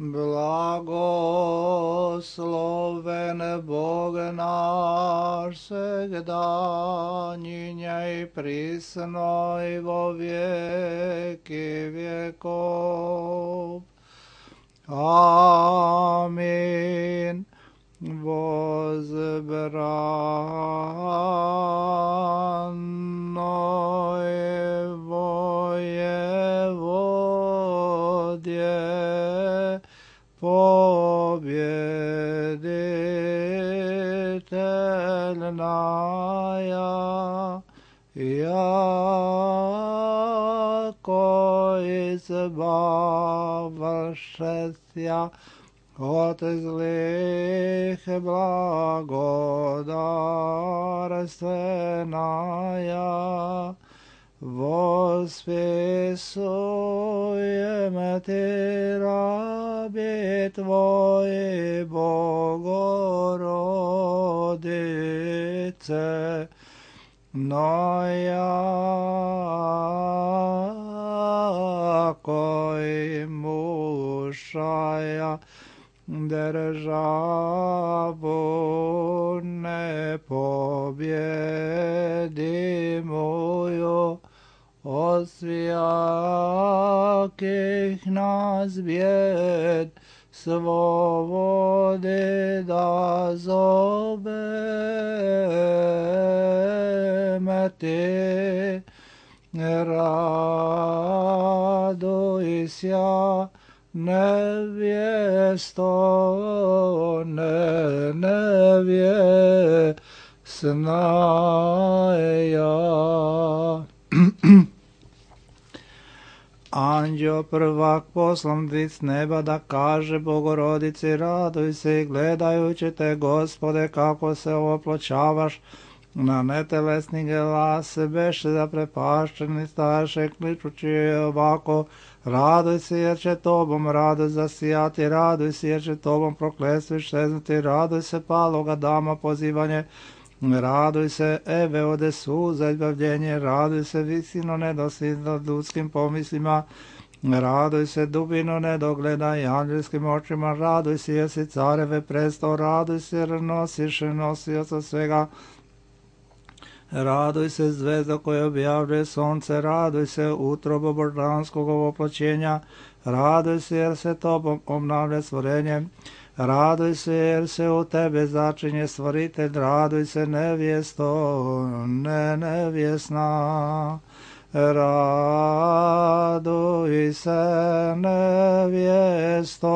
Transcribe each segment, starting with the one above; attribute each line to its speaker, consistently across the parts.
Speaker 1: Blagosloven Bog naš svegda, njinja i prisno i vo vijeki vjekov. Amin. Возбрано воеводие, победительная, яко избавшеся от злых благодарственная, восписуем Ты, раби Твои, Богородице, но яко имущая державу непобедимую, от всяких нас бед свободы да зовем Ты. Радуйся, невесто, невестная. Anđeo prvak poslan vid s neba da kaže Bogorodici, raduj se i gledajući te, Gospode, kako se opločavaš na netelesni glas, beše zaprepašćeni staše, kličući ovako, raduj se jer će tobom radost zasijati, raduj se jer će tobom prokletstvo iščeznuti, raduj se paloga dama pozivanje, raduj se Eve ode suza izbavljenje, raduj se visino nedosljedno ljudskim pomislima, raduj se dubino nedogleda i anđelskim očima, raduj se jer si careve prestao, raduj se jer nosiš nosioca svega, raduj se zvezda koja objavljuje sonce, raduj se utrobo božanskog oploćenja, raduj se jer se tobom obnavlja stvorenje, raduj se jer se u tebe začinje stvoritelj, raduj se nevjesto, nevjesna, raduj se nevjesto,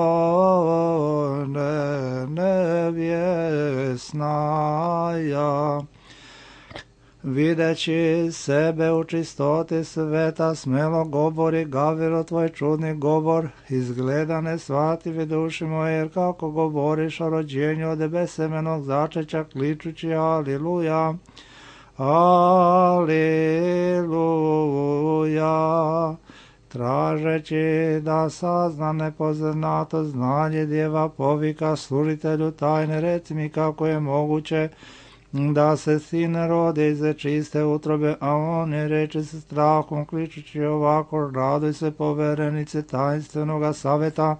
Speaker 1: nevjesnaja. Videći sebe u čistoti sveta, smelo govori Gaviro tvoj čudni govor, izgleda ne shvativi duši moje, jer kako govoriš o rođenju od besemenog začeća, kličući aliluja, aliluja, tražeći da sazna nepoznato znanje djeva povika služitelju tajne, reci mi kako je moguće da se sin rode iz čiste utrobe, a on je reče se strahom, kličući ovako, raduj se poverenice tajnstvenog saveta,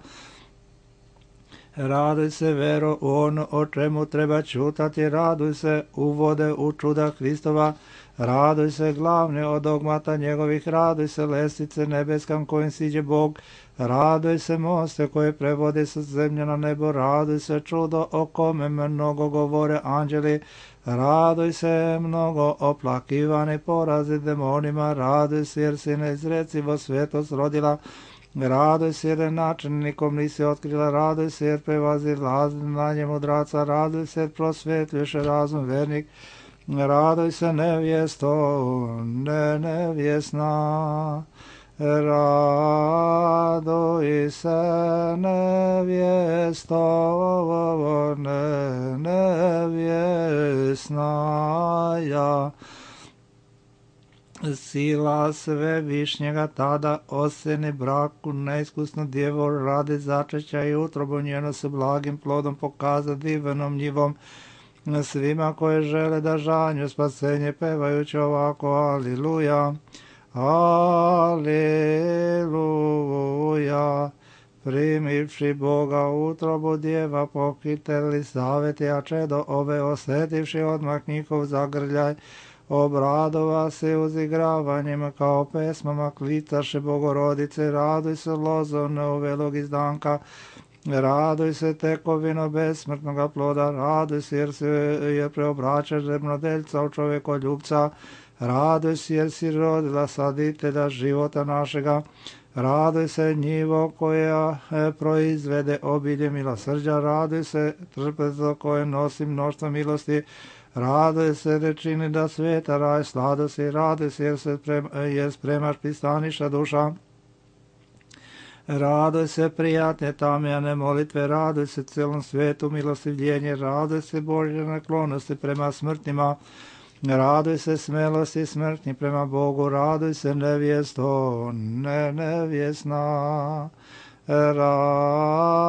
Speaker 1: raduj se vero u ono o čemu treba čutati, raduj se uvode u čuda Hristova, raduj se glavne od dogmata njegovih, raduj se lestvice nebeskam kojim siđe Bog, raduj se moste koje prevode sa zemlje na nebo, raduj se čudo o kome mnogo govore anđeli, raduj se mnogo oplakivani porazi demonima, raduj se jer si neizrecivo svetost rodila, raduj se jer načinnikom nisi otkrila, raduj se jer prevazi znanje mudraca, raduj se jer prosvjetljuješ razum vernik, raduj se nevjesto, nevjesna, raduj se nevjesto, nevjesnaja. Sila Svevišnjega tada oseni braku neiskusnu djevu radi začeća i utrobu njeno se blagim plodom pokaza divenom njivom svima koje žele da žanju spasenje pevajući ovako aliluja, aliluja. primivši Boga utrobu djeva, pokiteli zaveti, a čedo ove osjetivši odmah njihov zagrljaj, obradova se uzigravanjima kao pesmama, klicaše Bogorodice, raduj se lozo neuvelog izdanka, raduj se tekovino besmrtnoga ploda, raduj se jer preobraćaš zemnodeljca u čovjekoljubca, raduj se jer si rodila saditelja života našega, raduj se njivo koja proizvede obilje milosrđa, raduj se trpezo koje nosi mnoštvo milosti, raduj se da čini da sveta raj sladosti, raduj se jer spremaš pristaniša duša, raduj se prijatne tamjane molitve, raduj se celom svijetu milostivljenje, raduj se Božje naklonosti prema smrtnima, raduj se smelosti smrtni prema Bogu, raduj se nevjesto, nevjesna, raduj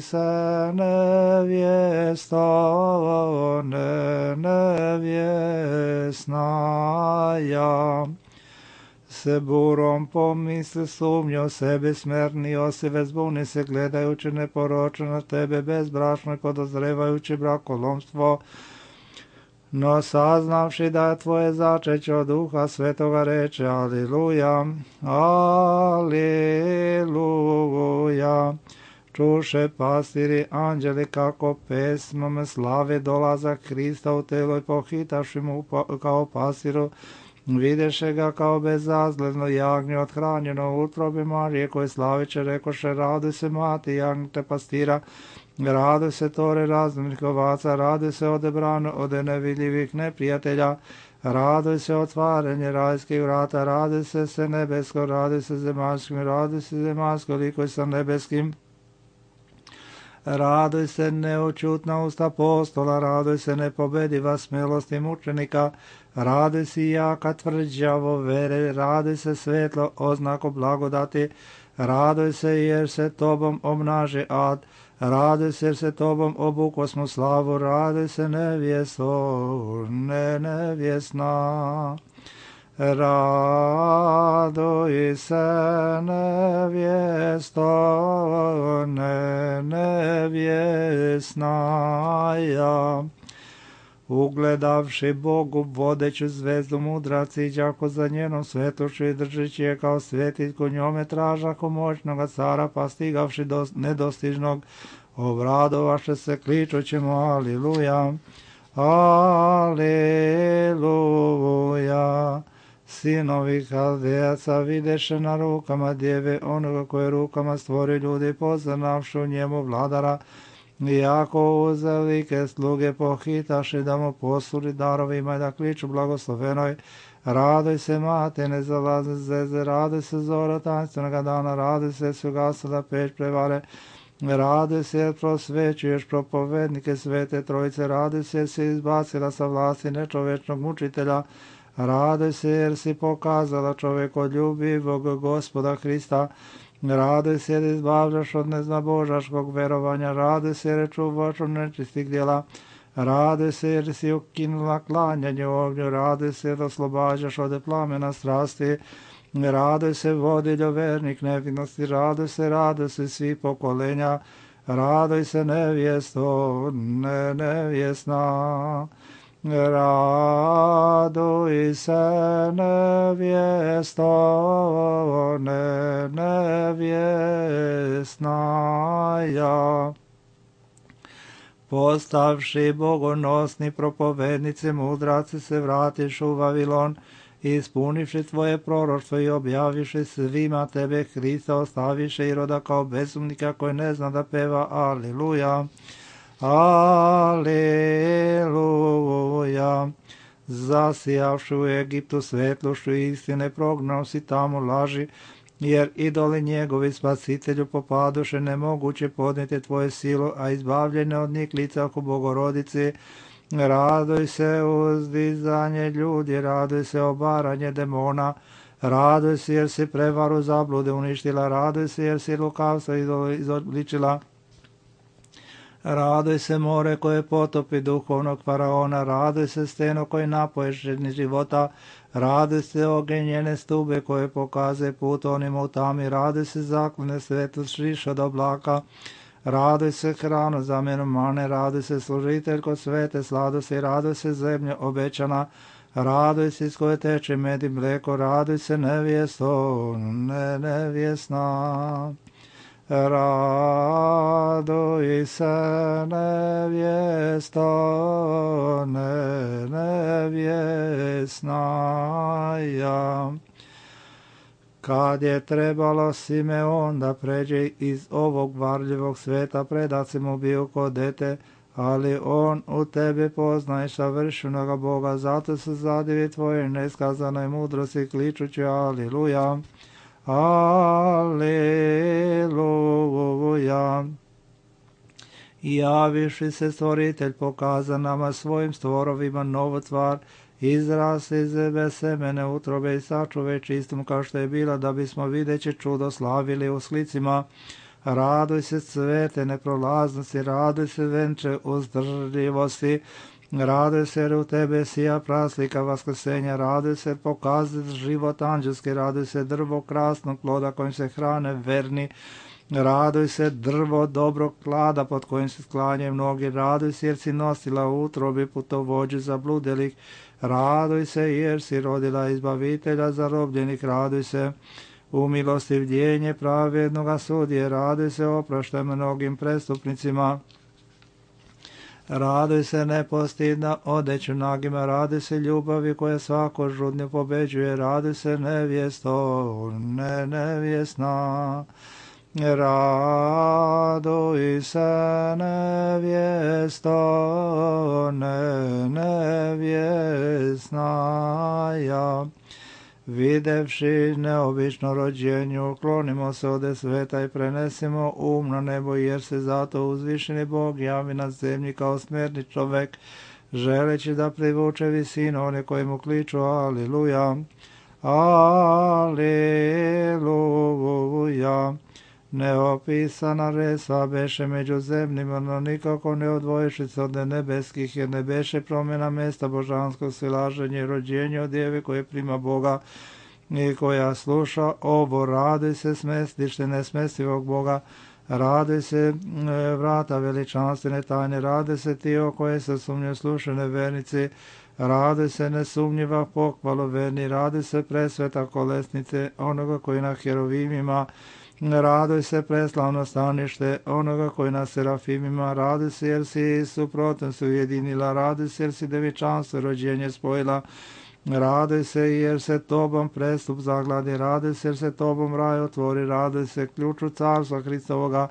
Speaker 1: se nevjesto, nevjesna, ja. Se burom pomisli sumnjo sebe smerni osive zbuni se gledajući neporočno na tebe bezbrašno i podozrevajući brakolomstvo, no saznavši da je tvoje začeće od Duha Svetoga reče Aliluja, Aliluja. Čuše pastiri anđeli kako pesmom slave dolazak Hrista u telo i pohitaši mu kao pasiru, videše ga kao bezazledno jagnje othranjeno u utrobi Marije koje slaviće rekoše raduj se mati jagnjete pastira, raduj se tore razumnih ovaca, raduj se odebrano od nevidljivih neprijatelja, raduj se otvaranje rajskih vrata, raduj se nebesko, raduj se zemaljskim, raduj se zemaljsko liko sa nebeskim, raduj se neočutna usta apostola, raduj se nepobediva smelosti mučenika, raduj se jaka tvrđavo vere, raduj se svetlo oznako blagodati, raduj se jer se tobom obnaži ad, raduj se jer se tobom obukosmo slavu, raduj se nevjesto, nevjesna. Raduj se nevjesto, nevjesna, ja. Ugledavši Bogu vodeću zvezdu mudraci, đako za njenom svetošću i držeći je kao svetiljku, njome tražako moćnoga cara, pa stigavši do nedostižnog, obradovaše se kličućemo Aliluja, Aliluja. Sinovi Haldejaca videše na rukama djeve onoga koje rukama stvori ljudi, poznavši u njemu vladara, iako uzelike sluge pohitaše da mu posuli darovima i da kliču blagoslovenoj, raduj se mate nezalazne zvezde, raduj se zora tanstvenoga dana, raduj se su gasila peć prevare, raduj se jer prosvećuješ propovednike svete trojice, raduj se jer si izbacila sa vlasti nečovečnog mučitelja, raduj se jer si pokazala čovjekoljubivog Gospoda Hrista, raduj se jer izbavljaš od neznabožaškog verovanja, raduj se jer čuvaš od nečistih djela, raduj se jer si ukinula klanjanje ognju, raduj se jer oslobađaš od plamena strasti, raduj se vodiljo vernik nevinosti, raduj se svi pokolenja, raduj se nevjesto, nevjesna. Raduj se nevjesto, nevjesna, ja. Postavši bogonosni propovednici mudraci se vratiš u Vavilon, ispunivši tvoje proroštvo i objaviši svima tebe Hrista, ostaviše i roda kao bezumnika koji ne zna da peva Aliluja. Aleluja. Zasijavši u Egiptu svetlošću istine, prognao si tamo laži, jer idoli njegovi spasitelju popadoše, nemoguće podnijeti tvoje silu, a izbavljene od njih lica oko Bogorodici. Raduj se uzdizanje ljudi, raduj se obaranje demona, raduj se jer si prevaru zablude uništila, raduj se jer si lukavstvo izobličila, Raduj se more koje potopi duhovnog faraona, raduj se steno koji napoješ žedni života, raduj se ogenj njene stube koje pokazuje put onima u tami, raduj se zaklone svetlost šiš od oblaka, raduj se hranu zamjenu mane, raduj se služitelj kod svete sladosti, raduj se zemlja obećana, raduj se iz koje teče med i mlijeko, raduj se nevjesto, nevjesna. Raduj se nevjesto, nevjesna ja. Kad je trebalo Simeon da pređe iz ovog varljivog sveta, predaci mu bio kod dete, ali on u tebi poznaje savršenoga Boga, zato se zadivi tvoje neskazanoj mudrosti kličući Aliluja. Aleluja. Javiši se stvoritelj, pokaza nama svojim stvorovima novu tvar, izrasli iz bez semene utrobe i sačuve čistom kao što je bila, da bismo videći čudo slavili u slicima. Raduj se cvete neprolaznosti, raduj se venče uzdržljivosti, raduj se jer u tebe sija praslika vaskrsenja, raduj se pokazati život anđelski, raduj se drvo krasnog ploda kojim se hrane verni, raduj se drvo dobrog klada pod kojim se sklanjaju mnogi, raduj se jer si nosila u utrobi putovođu zabludelih, raduj se jer si rodila izbavitelja zarobljenih, raduj se u milostivljenje pravednoga sudije, raduj se oproštaj mnogim prestupnicima. Raduj se nepostidna odeću nagima, raduj se ljubavi koja svako žudnju pobeđuje, raduj se nevjesto, nevjesna. Raduj se nevjesto, nevjesna ja. Videvši neobično rođenju, uklonimo se ode sveta i prenesimo na nebo, jer se zato uzvišeni Bog javi na zemlji kao smjerni čovek, želeći da privuče visinu one koji mu kliču Aliluja, Aliluja. Neopisana resva beše među zemljima, no nikako ne odvojiši se od nebeskih, jer ne beše promjena mesta božanskog silaženja i rođenja od djeve koje prima Boga i koja sluša ovo. Raduj se smestište nesmestivog Boga, raduj se vrata veličanstvene tajne, raduj se ti o koje se sumnju slušane vernici, raduj se nesumnjiva pohvalu verni, raduj se presveta kolesnice onoga koji na herovimima, raduj se preslavno stanište onoga koji na serafimima, raduj se jer si suprotnost ujedinila, raduj se jer si devičanstvo rođenje spojila, raduj se jer se tobom prestup zagladi, raduj se jer se tobom raj otvori, raduj se ključu carstva Hristovoga,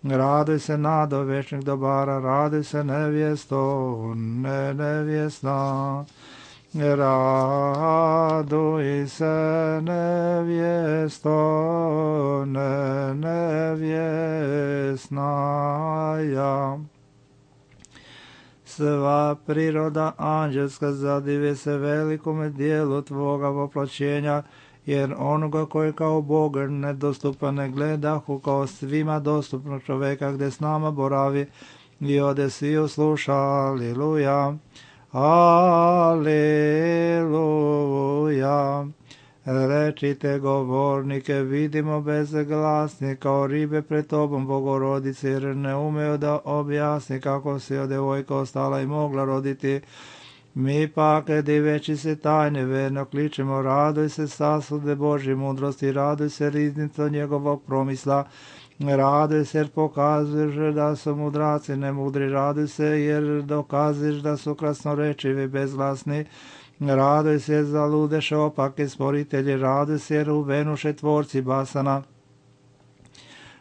Speaker 1: raduj se nado večnih dobara, raduj se nevjesto, nevjesna. Raduj se nevjesto, nevjesna ja. Sva priroda anđelska zadive se velikome dijelu tvoga voplaćenja, jer onoga koji kao Bog nedostupan ne gledahu kao svima dostupnog čoveka gdje s nama boravi i ode svi sluša. Aliluja. Aleluja. Rečite govornike, vidimo bezglasni kao ribe pred tobom, Bogorodice, jer ne umeju da objasni kako si od devojka ostala i mogla roditi. Mi pak, diveći se tajne, verno kličemo, raduj se sasude Božje mudrosti, raduj se riznico njegovog promisla, raduj se jer pokazuješ da su mudraci nemudri, raduj se jer dokazuješ da su krasnorečivi bezglasni, raduj se jer zaludeš opake sporitelji, raduj se jer uvenuše tvorci basana,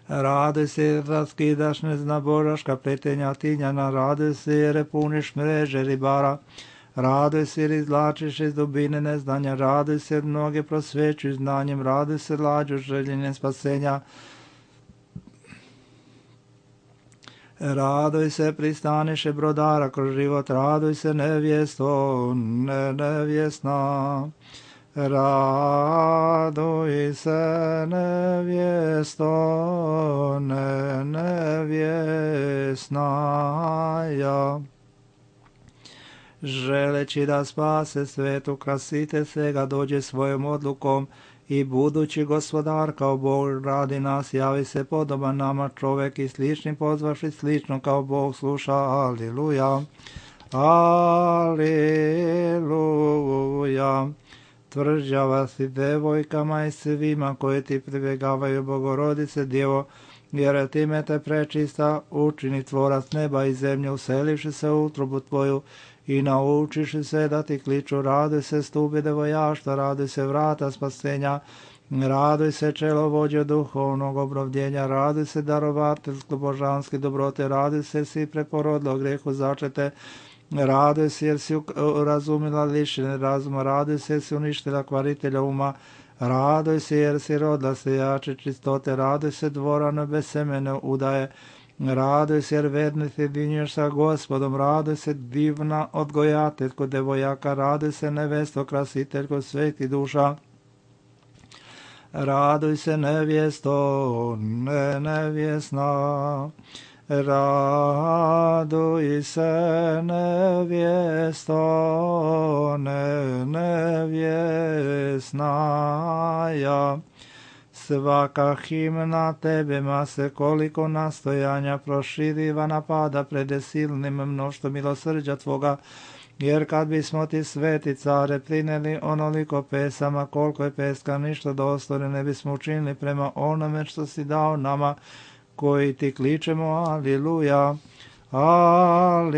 Speaker 1: raduj se jer raskidaš neznaboraška pletenja tinjana, raduj se jer puniš mreže ribara, raduj se jer izvlačiš iz dubine neznanja, raduj se jer mnoge prosvećuju znanjem, raduj se lađu željenjem spasenja, raduj se pristaniše brodara kroz život, raduj se nevjesto, nevjesna. Raduj se nevjesto, nevjesnaja. Želeći da spase svet, ukrasite se ga, dođe svojom odlukom i budući gospodar kao Bog radi nas, javi se podoban nama čovek i slični pozvaši slično kao Bog sluša. Aliluja, aliluja. Tvrđava si devojkama i svima koji ti pribjegavaju, Bogorodice Djevo, jer time te prečista učini tvorac neba i zemlje, uselivši se u utrobu tvoju i naučiši se da ti kliču. Raduj se stupi devojaštva, raduj se vrata spasenja, raduj se čelo vođe duhovnog obnovljenja, raduj se darovateljsko božanske dobrote, raduj se si preporodilo grehu začete, raduj se jer si razumila lišene razuma, raduj se jer si uništila kvaritelja uma, raduj se jer si rodila sejače čistote, raduj se dvorano bez semene udaje, raduj se jer verni se dinješ sa Gospodom, raduj se divna odgojateljko devojaka, raduj se nevesto krasiteljko sveti duša, raduj se nevjesto, nevjesna, raduj se nevjesto, nevjesnaja. Svaka himna tebema se koliko nastojanja proširiva napada pred silnim mnoštvo milosrđa tvoga, jer kad bismo ti sveti care prineli onoliko pesama koliko je peska ništa dostojne ne bismo učinili prema onome što si dao nama koji ti kličemo. Aliluja, aliluja.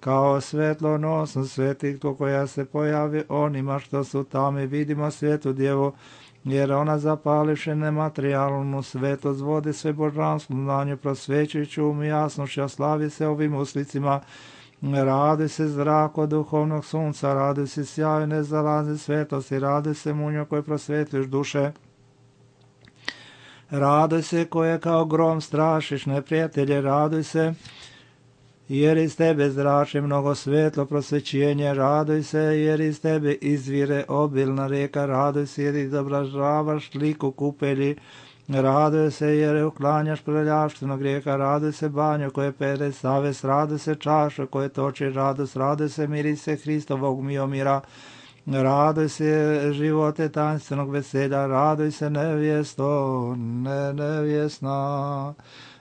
Speaker 1: Kao svetlonosno svetiljko koja se pojavi onima što su tamo, vidimo svetu djevu, jer ona zapališe nematerijalnu svetlost, vodi sve božanskom znanju, prosvećujući um i jasnošću, slavi se ovim uslicima. Raduj se zrako duhovnog sunca, raduj se sjaju nezalazi svetlosti, raduj se munjo koji prosvetljuješ duše. Raduj se koje kao grom strašiš neprijatelje, raduj se jer iz tebe zrači mnogo svetlo prosvećenje, raduj se jer iz tebe izvire obilna rijeka, raduj se jer izobražavaš liku kupelji, raduj se jer uklanjaš prljavštinu grijeha, raduj se banjo koje pere savest, raduj se čaša koje toči radost, raduj se mirise Hristovog miomira, raduj se živote tajanstvenog veselja, raduj se nevjesto, nevjesna.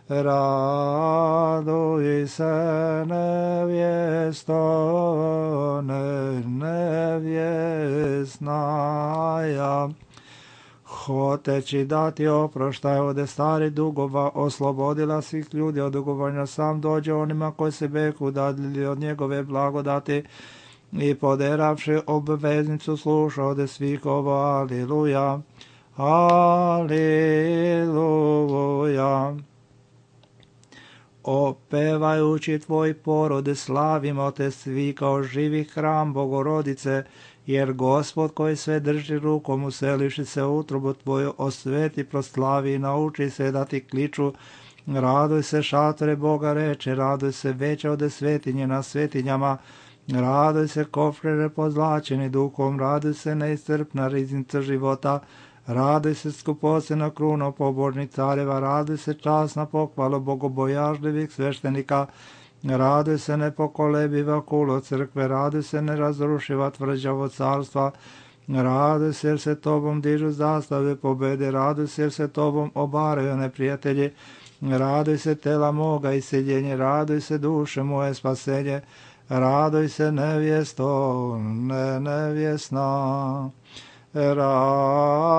Speaker 1: Raduj se nevjesto, nevjesnaja. Hoteći dati oproštaj od starih dugova, oslobodila svih ljudi od dugovanja, sam dođe onima koji se beku dadili od njegove blagodati i poderavši obveznicu sluša od svih ovo. Aliluja, aliluja. Opevajući tvoj porod, slavimo te svi kao živi hram Bogorodice, jer Gospod koji sve drži rukom, useliši se u utrobu tvoju, osveti, proslavi i nauči se da ti kliču. Raduj se šatore Boga reče, raduj se veće od svetinje na svetinjama, raduj se kofrere pozlačeni duhom, raduj se neiscrpna riznica života, raduj se skupocena kruno pobožnih careva, raduj se časna pohvala bogobojažljivih sveštenika, raduj se nepokolebiva kulo crkve, raduj se nerazrušiva tvrđavo carstva, raduj se jer se tobom dižu zastave pobede, raduj se jer se tobom obaraju neprijatelji, raduj se tela moga i sjedjenje, raduj se duše moje spasenje, raduj se nevjesto, nevjesna. Raduj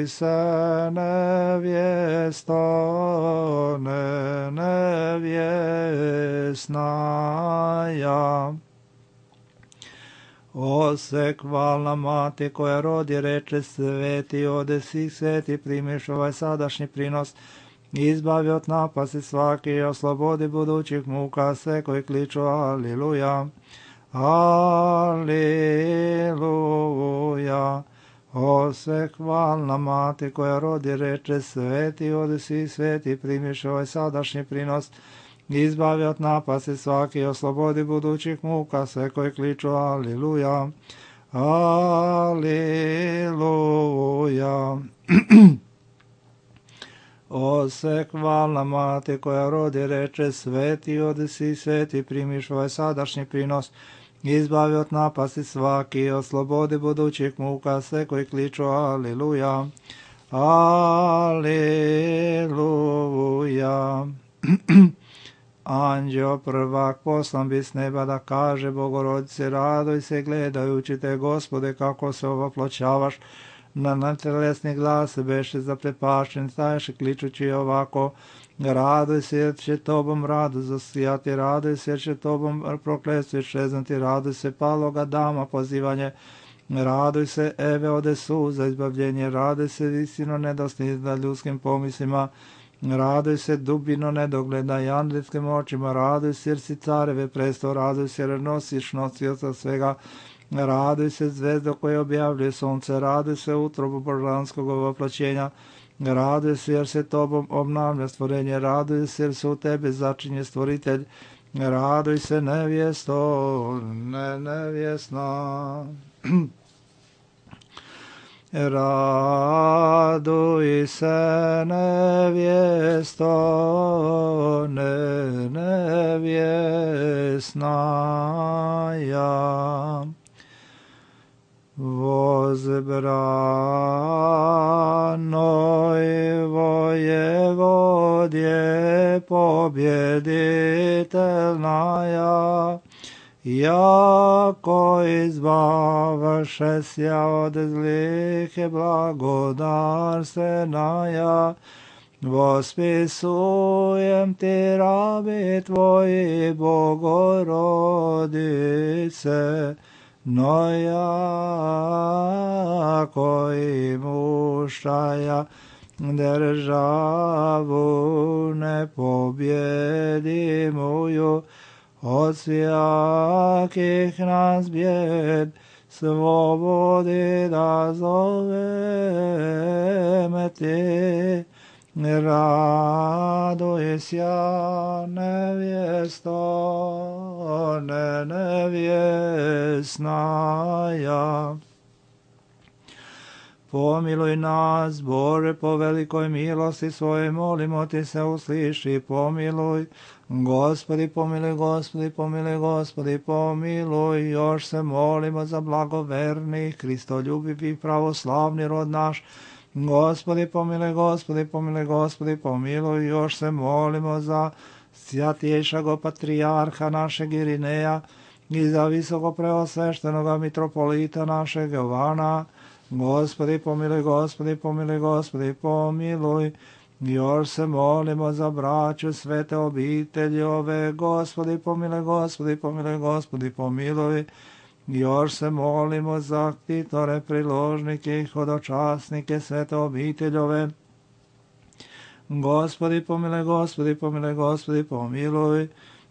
Speaker 1: se nevjesto, nevjesnaja. Osek hvalna mati koja rodi reče sveti, ode svih sveti primiš ovaj sadašnji prinos, izbavi od napasti svaki i oslobodi budućih muka sve koji kliču aliluja. Aliluja. O sve hvalna mati koja rodi reče sveti, ode svi sveti primiš ovaj sadašnji prinos, izbavi od napasti svaki, oslobodi budućih muka, sve koji kliču Aliluja, Aliluja. O se hvalna mati koja rodi reče, sveti odesi, sveti primiš ovaj sadašnji prinos, izbavi od napasti svaki, oslobodi budućih muka, sve koji kliču Aliluja, Aliluja. Anđeo prvak poslan bi s neba da kaže Bogorodice, radoj se gledajući te, Gospode, kako se ovoploćavaš. Na netelesni glas beše zaprepašten, staješe kličući ovako, radoj se jer će tobom rado zasijati, radoj se jer će tobom prokletstvo iščeznati, radoj se paloga dama pozivanje, radoj se Eve ode suza izbavljenje, radoj se visino nedosnizda ljudskim pomislima, radoj se dubino nedogleda i andrijskim očima, radoj se jer si careve presto, radoj se jer nosiš nosioca svega, radoj se zvezdo koje objavljuje sunce, radoj se utrobu božanskog ovoploćenja, radoj se jer se tobom obnavlja stvorenje, radoj se jer se u tebe začinje stvoritelj, radoj se nevjesto, nevjesna. Raduj se nevjesto, nevjesnaja. Возбранoj воеводje побjeditelnaja, jako izbavaše sja od zlih blagodarstvenaja, vospisujem ti rabi tvoji, Bogorodice, no jako i mušaja državu nepobjedimuju, od svjakih nas bjed slobodi da zoveme ti. Raduj sja nevjesto, nevjesnaja. Pomiluj nas, Bože, po velikoj milosti svojoj, molimo ti se, usliši, pomiluj. Gospodi, pomiluj, Gospodi, pomiluj, Gospodi, pomiluj. Još se molimo za blagoverni, Hristoljubivi, pravoslavni rod naš. Gospodi, pomiluj, Gospodi, pomiluj, Gospodi, pomiluj. Još se molimo za sjatjejšago patrijarha našeg Irineja i za visoko preosveštenoga mitropolita našeg Jovana. Gospodi, pomiluj, Gospodi, pomiluj, Gospodi, pomiluj. Još se molimo za braću svete obitelji ove. Gospodi, pomiluj, Gospodi, pomiluj, Gospodi, pomiluj. Još se molimo za ktitore, priložnike i hodočasnike svete obiteljove. Gospodi, pomiluj, Gospodi, pomiluj, Gospodi, pomiluj.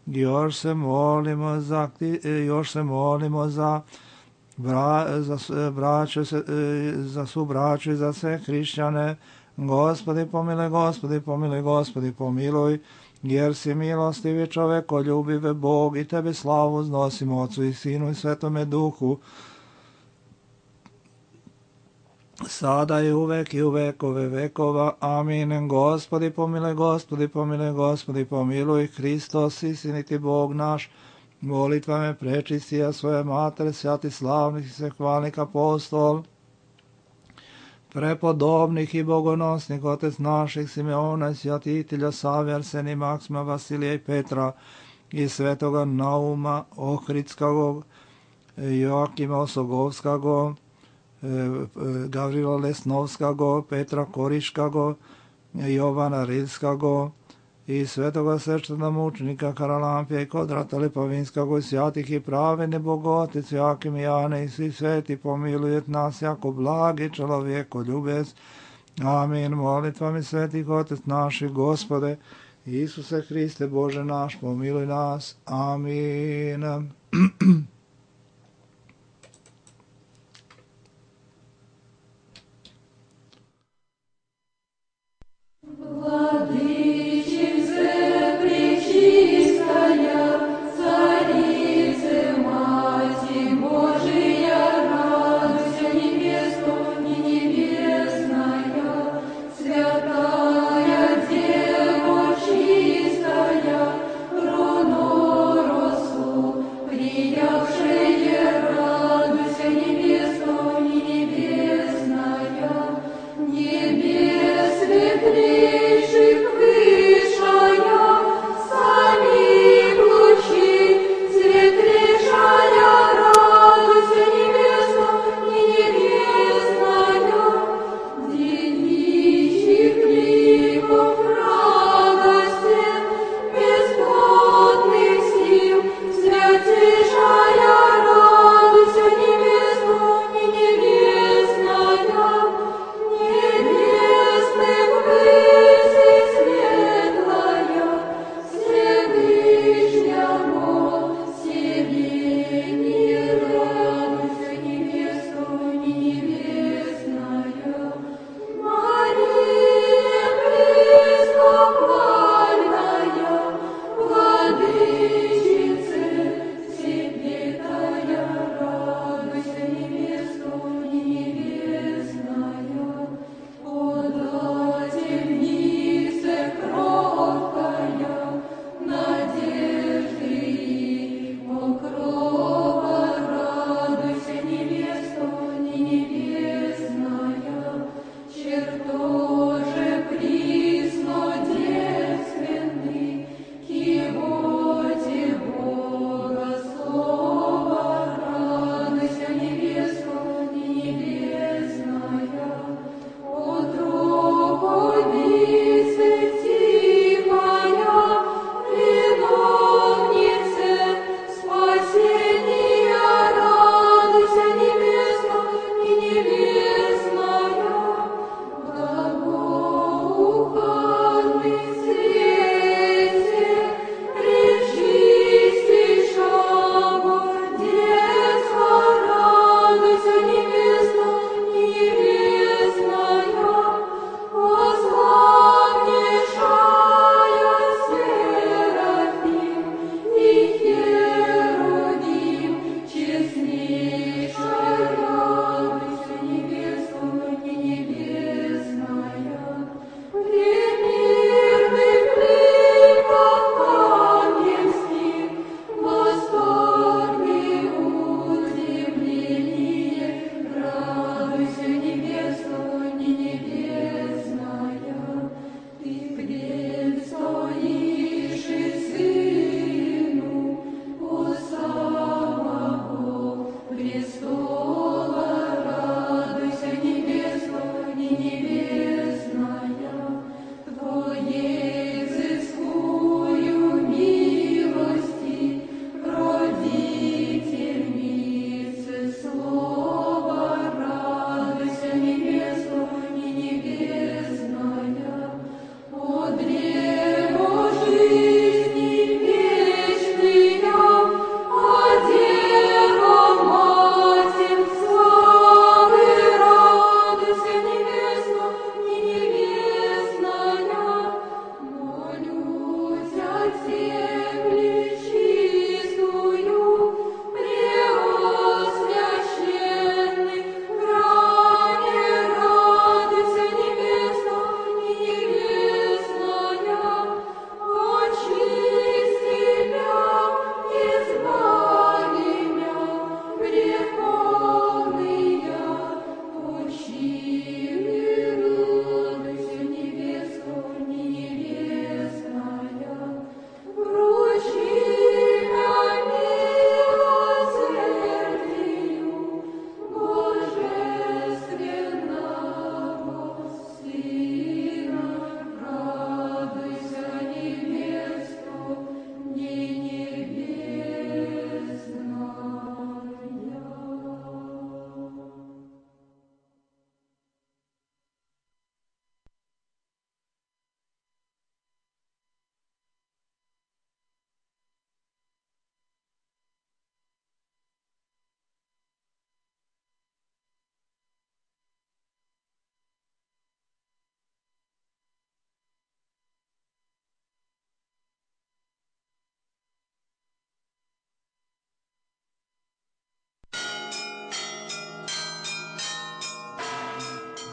Speaker 1: Još se molimo za braću, za svu braću i za sve hrišćane. Gospodi, pomiluj, Gospodi, pomiluj, Gospodi, pomiluj. Jer si milostivi čovekoljubive Bog i tebe slavu uznosimo Otcu i Sinu i Svetome Duhu, sada i uvek i u vekove vekova. Amin. Gospodi, pomiluj, Gospodi, pomiluj, Gospodi, pomiluj. Hristos, istiniti Bog naš, molitvame prečistija svoje matere, svjati slavnih i svehvalnih apostol, prepodobnih i bogonosnih otec naših Simeona i svjatitelja Save, Arsenija, Maksima, Vasilija i Petra i svetoga Nauma Ohridskog, Joakima Osogovskog, Gavrila Lesnovskog, Petra Koriškog, Jovana Rilskog i svetoga sveštena mučenika Karalampija i Kodrata Lipovinskog i svjatih i pravene bogotic Joakim i Jane i svi sveti pomilujet nas jako blagi čelovjeko ljubez. Amin. Molitvami svetih otec naših, Gospode Isuse Hriste Bože naš, pomiluj nas. Amin.
Speaker 2: Владычице, пречистой,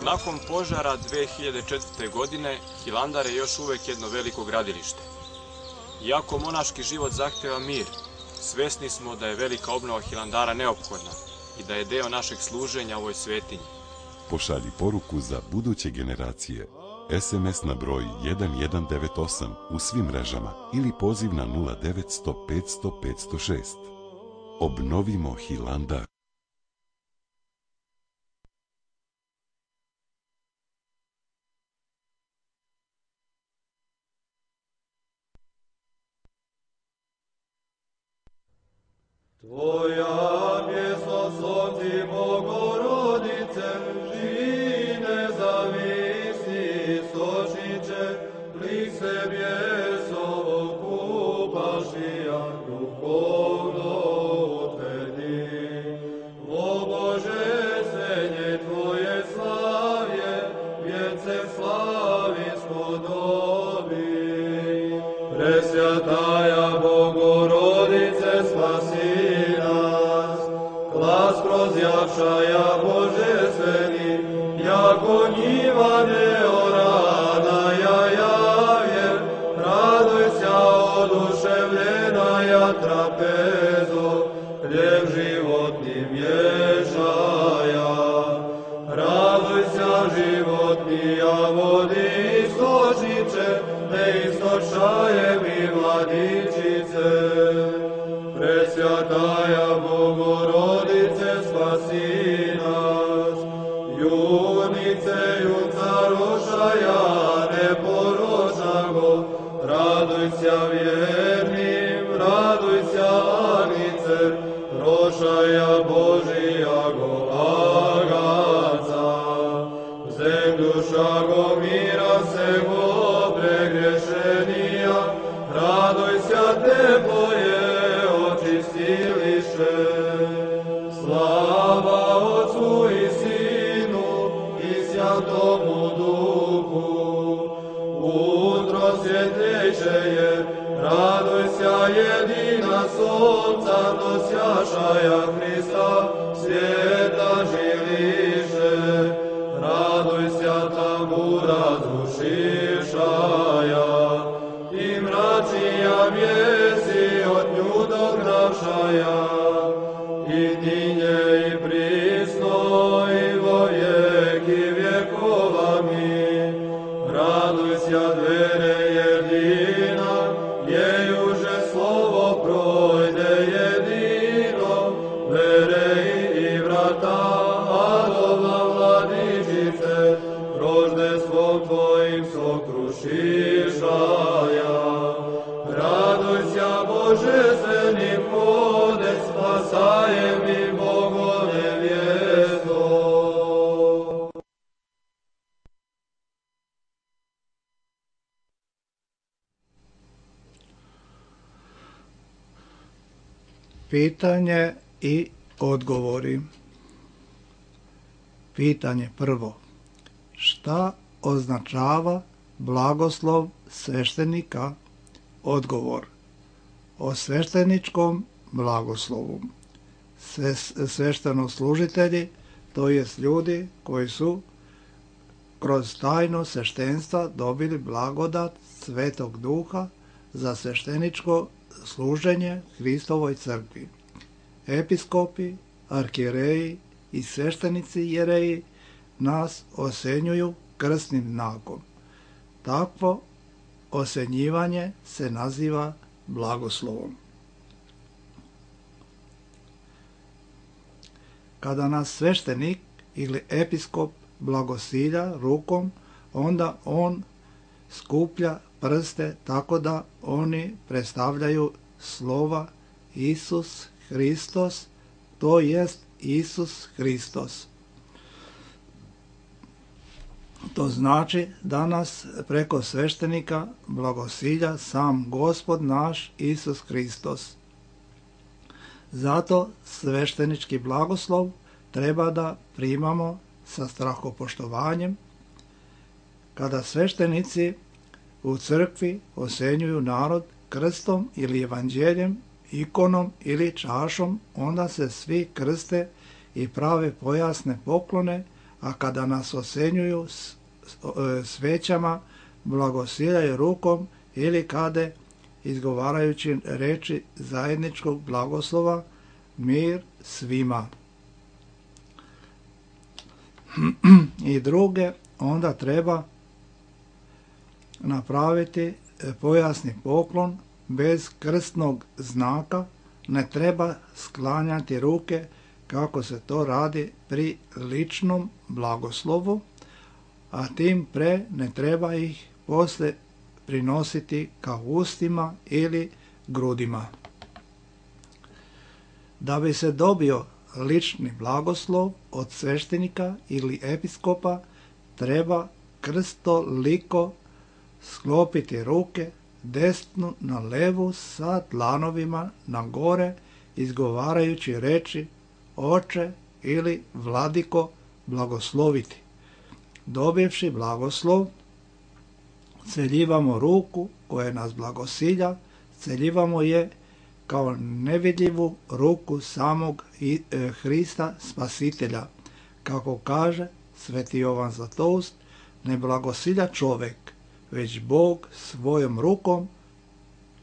Speaker 2: Nakon požara 2004. godine, Hilandar je još uvek jedno veliko gradilište. Iako monaški život zahteva mir, svesni smo da je velika obnova Hilandara neophodna i da je deo našeg služenja ovoj svetinji.
Speaker 3: Pošalji poruku za buduće generacije. SMS na broj 1198 u svim mrežama ili poziv na 0900 500 506. Obnovimo Hilandar.
Speaker 4: Tvoja pjesma slavti Bogorodice, živi nezavisni istočniče, lik se bjesovo kupašija, duhovno utvrdi. O Bože, senje Tvoje slavje, vjence slavinsko dobi. Presvjataja Bogorodice, spasi glas prozjavšaja božestveni, jako njiva neorana javje, radujся oduševljenaja trapezo, hljeb životni mješaja. Radujся životnija vodi istočniče, ne istočaje mi vladičice. Presvjataja Bogorodice, spasi nas. Junice, carošaja neporočago, radujся vjernim, radujся Agnice, rošaja Božijago agaca. Zemljušago mira sego pregrešenija, radujся teploje očistiliše. Slava Otcu i Sinu i Svjatomu Duhu. Utrosvjetljeće je, radujся jedina sonca nosjašaja Hrista, svijeta žiliše. Radujся tambura zušišaja i mračija mjesi od nju dognavšaja. I ninje i prisno i vo vijeki vjekovami. Radujся dvere jedina, jejuže slovo projde jedino, vere i vrata adova vladičice, roždestvom Tvojim sokrušišaja. Radujся božestvenim hode, spasajem mi Bogo nevjesto.
Speaker 1: Pitanje i odgovori. Pitanje prvo. Šta označava blagoslov sveštenika? Odgovor. O svešteničkom blagoslovu. Sveštenoslужitelji, to jest ljudi koji su kroz tajno sveštenstva dobili blagodat Svetog Duha za svešteničko služenje Hristovoj crkvi. Episkopi, arhijereji i sveštenici jereji nas osenjuju krstnim znakom. Takvo osenjivanje se naziva blagoslovom. Kada nas sveštenik ili episkop blagosilja rukom, onda on skuplja prste tako da oni predstavljaju slova Isus Hristos, to jest Isus Hristos. To znači da nas preko sveštenika blagosilja sam Gospod naš Isus Hristos. Zato sveštenički blagoslov treba da primamo sa strahopoštovanjem. Kada sveštenici u crkvi osenjuju narod krstom ili evanđeljem, ikonom ili čašom, onda se svi krste i prave pojasne poklone, a kada nas osenjuju svećama, blagosiljaju rukom ili kada izgovarajući reči zajedničkog blagoslova, mir svima. I druge, onda treba napraviti pojasni poklon bez krstnog znaka, ne treba sklanjati ruke kako se to radi pri ličnom blagoslovu, a tim pre ne treba ih posle prinositi ka ustima ili grudima. Da bi se dobio lični blagoslov od sveštenika ili episkopa, treba krstoliko sklopiti ruke, desnu na levu sa dlanovima na gore, izgovarajući reči Oče ili Vladiko blagosloviti. Dobivši blagoslov, celjivamo ruku koja nas blagosilja, celjivamo je kao nevidljivu ruku samog Hrista Spasitelja. Kako kaže Sveti Jovan Zlatoust, ne blagosilja čovek, već Bog svojom rukom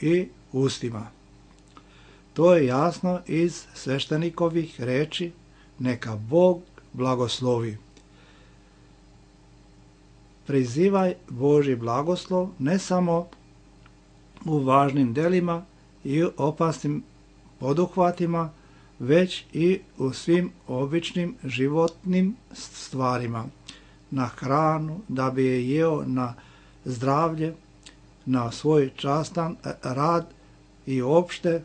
Speaker 1: i ustima. To je jasno iz sveštenikovih reči, neka Bog blagoslovi. Prizivaj Božji blagoslov ne samo u važnim delima i opasnim poduhvatima, već i u svim običnim životnim stvarima. Na hranu, da bi je jeo, na zdravlje, na svoj častan rad i opšte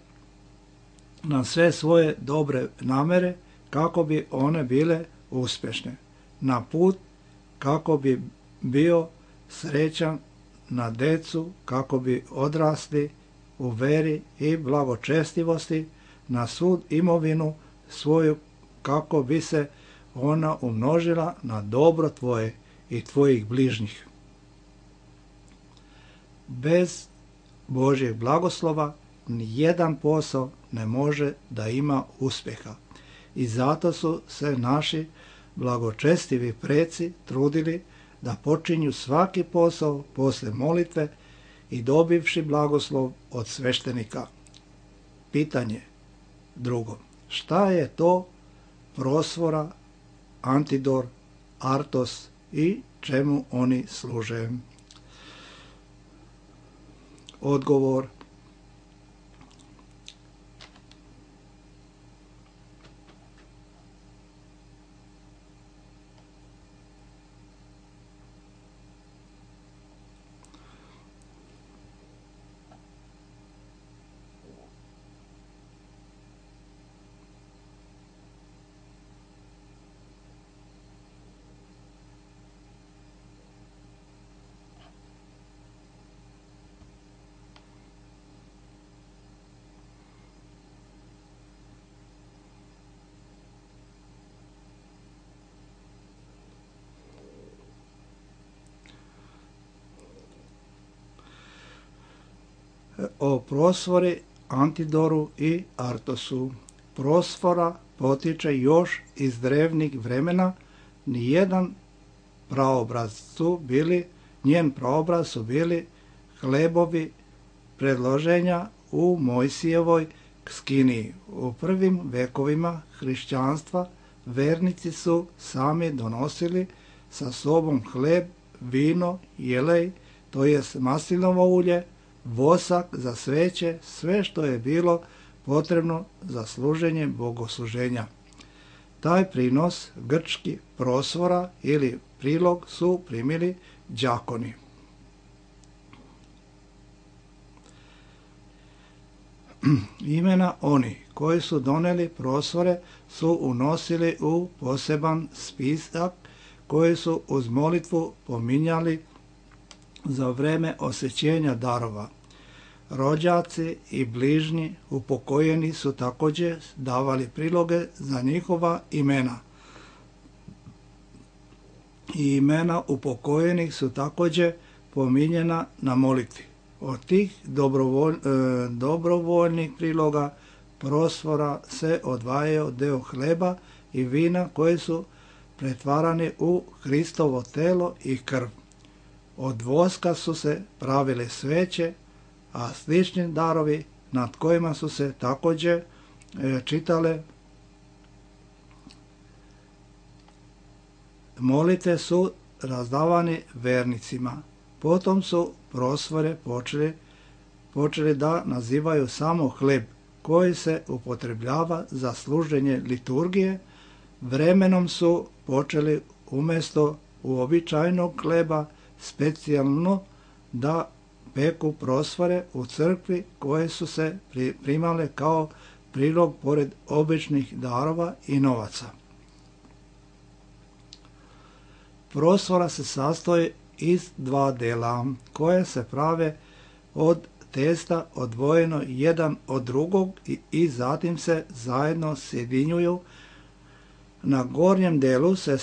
Speaker 1: na sve svoje dobre namere kako bi one bile uspešne. Na put kako bi bio srećan, na decu kako bi odrasli u veri i blagočestivosti, na sud imovinu svoju kako bi se ona umnožila na dobro tvoje i tvojih bližnjih. Bez Božjeg blagoslova nijedan posao ne može da ima uspjeha. I zato su se naši blagočestivi preci trudili da počinju svaki posao posle molitve i dobivši blagoslov od sveštenika. Pitanje drugo. Šta je to prosfora, antidor, artos i čemu oni služe? Odgovor. O prosfori, antidoru i artosu. Prosfora potiče još iz drevnih vremena, njen praobraz su bili hlebovi predloženja u Mojsijevoj skiniji. U prvim vekovima hrišćanstva vernici su sami donosili sa sobom hleb, vino, jelej, to jest maslinovo ulje, vosak za sveće, sve što je bilo potrebno za služenje bogosluženja. Taj prinos, grčki prosvora ili prilog, su primili đakoni. Imena oni koji su doneli prosvore su unosili u poseban spisak koji su uz molitvu pominjali za vreme osvećenja darova. Rođaci i bližnji upokojeni su također davali priloge za njihova imena. I imena upokojenih su također pominjena na molitvi. Od tih dobrovoljnih priloga prosvora se odvajao deo hleba i vina koje su pretvarani u Hristovo telo i krv. Od voska su se pravile sveće, a slični darovi nad kojima su se također čitale molite su razdavani vernicima. Potom su prosvore počeli da nazivaju samo hleb koji se upotrebljava za služenje liturgije. Vremenom su počeli umjesto uobičajenog hleba specijalno da peku prosvore u crkvi koje su se primale kao prilog pored običnih darova i novaca. Prosvora se sastoji iz dva dela koje se prave od testa odvojeno jedan od drugog i zatim se zajedno sjedinjuju. Na gornjem delu se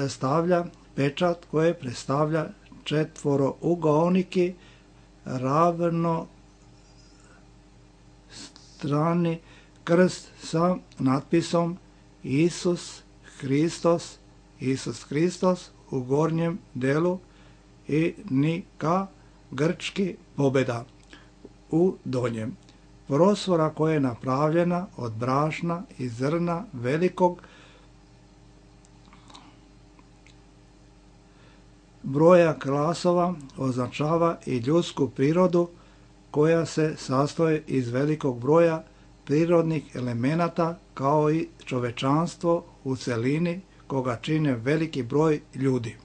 Speaker 1: stavlja pečat koji predstavlja četvorougaoniki ravno strani krst sa natpisom Isus Hristos u gornjem delu i Nika grčki pobjeda u donjem. Prosvora koja je napravljena od brašna i zrna velikog broja klasova označava i ljudsku prirodu koja se sastoji iz velikog broja prirodnih elemenata kao i čovečanstvo u celini koga čine veliki broj ljudi.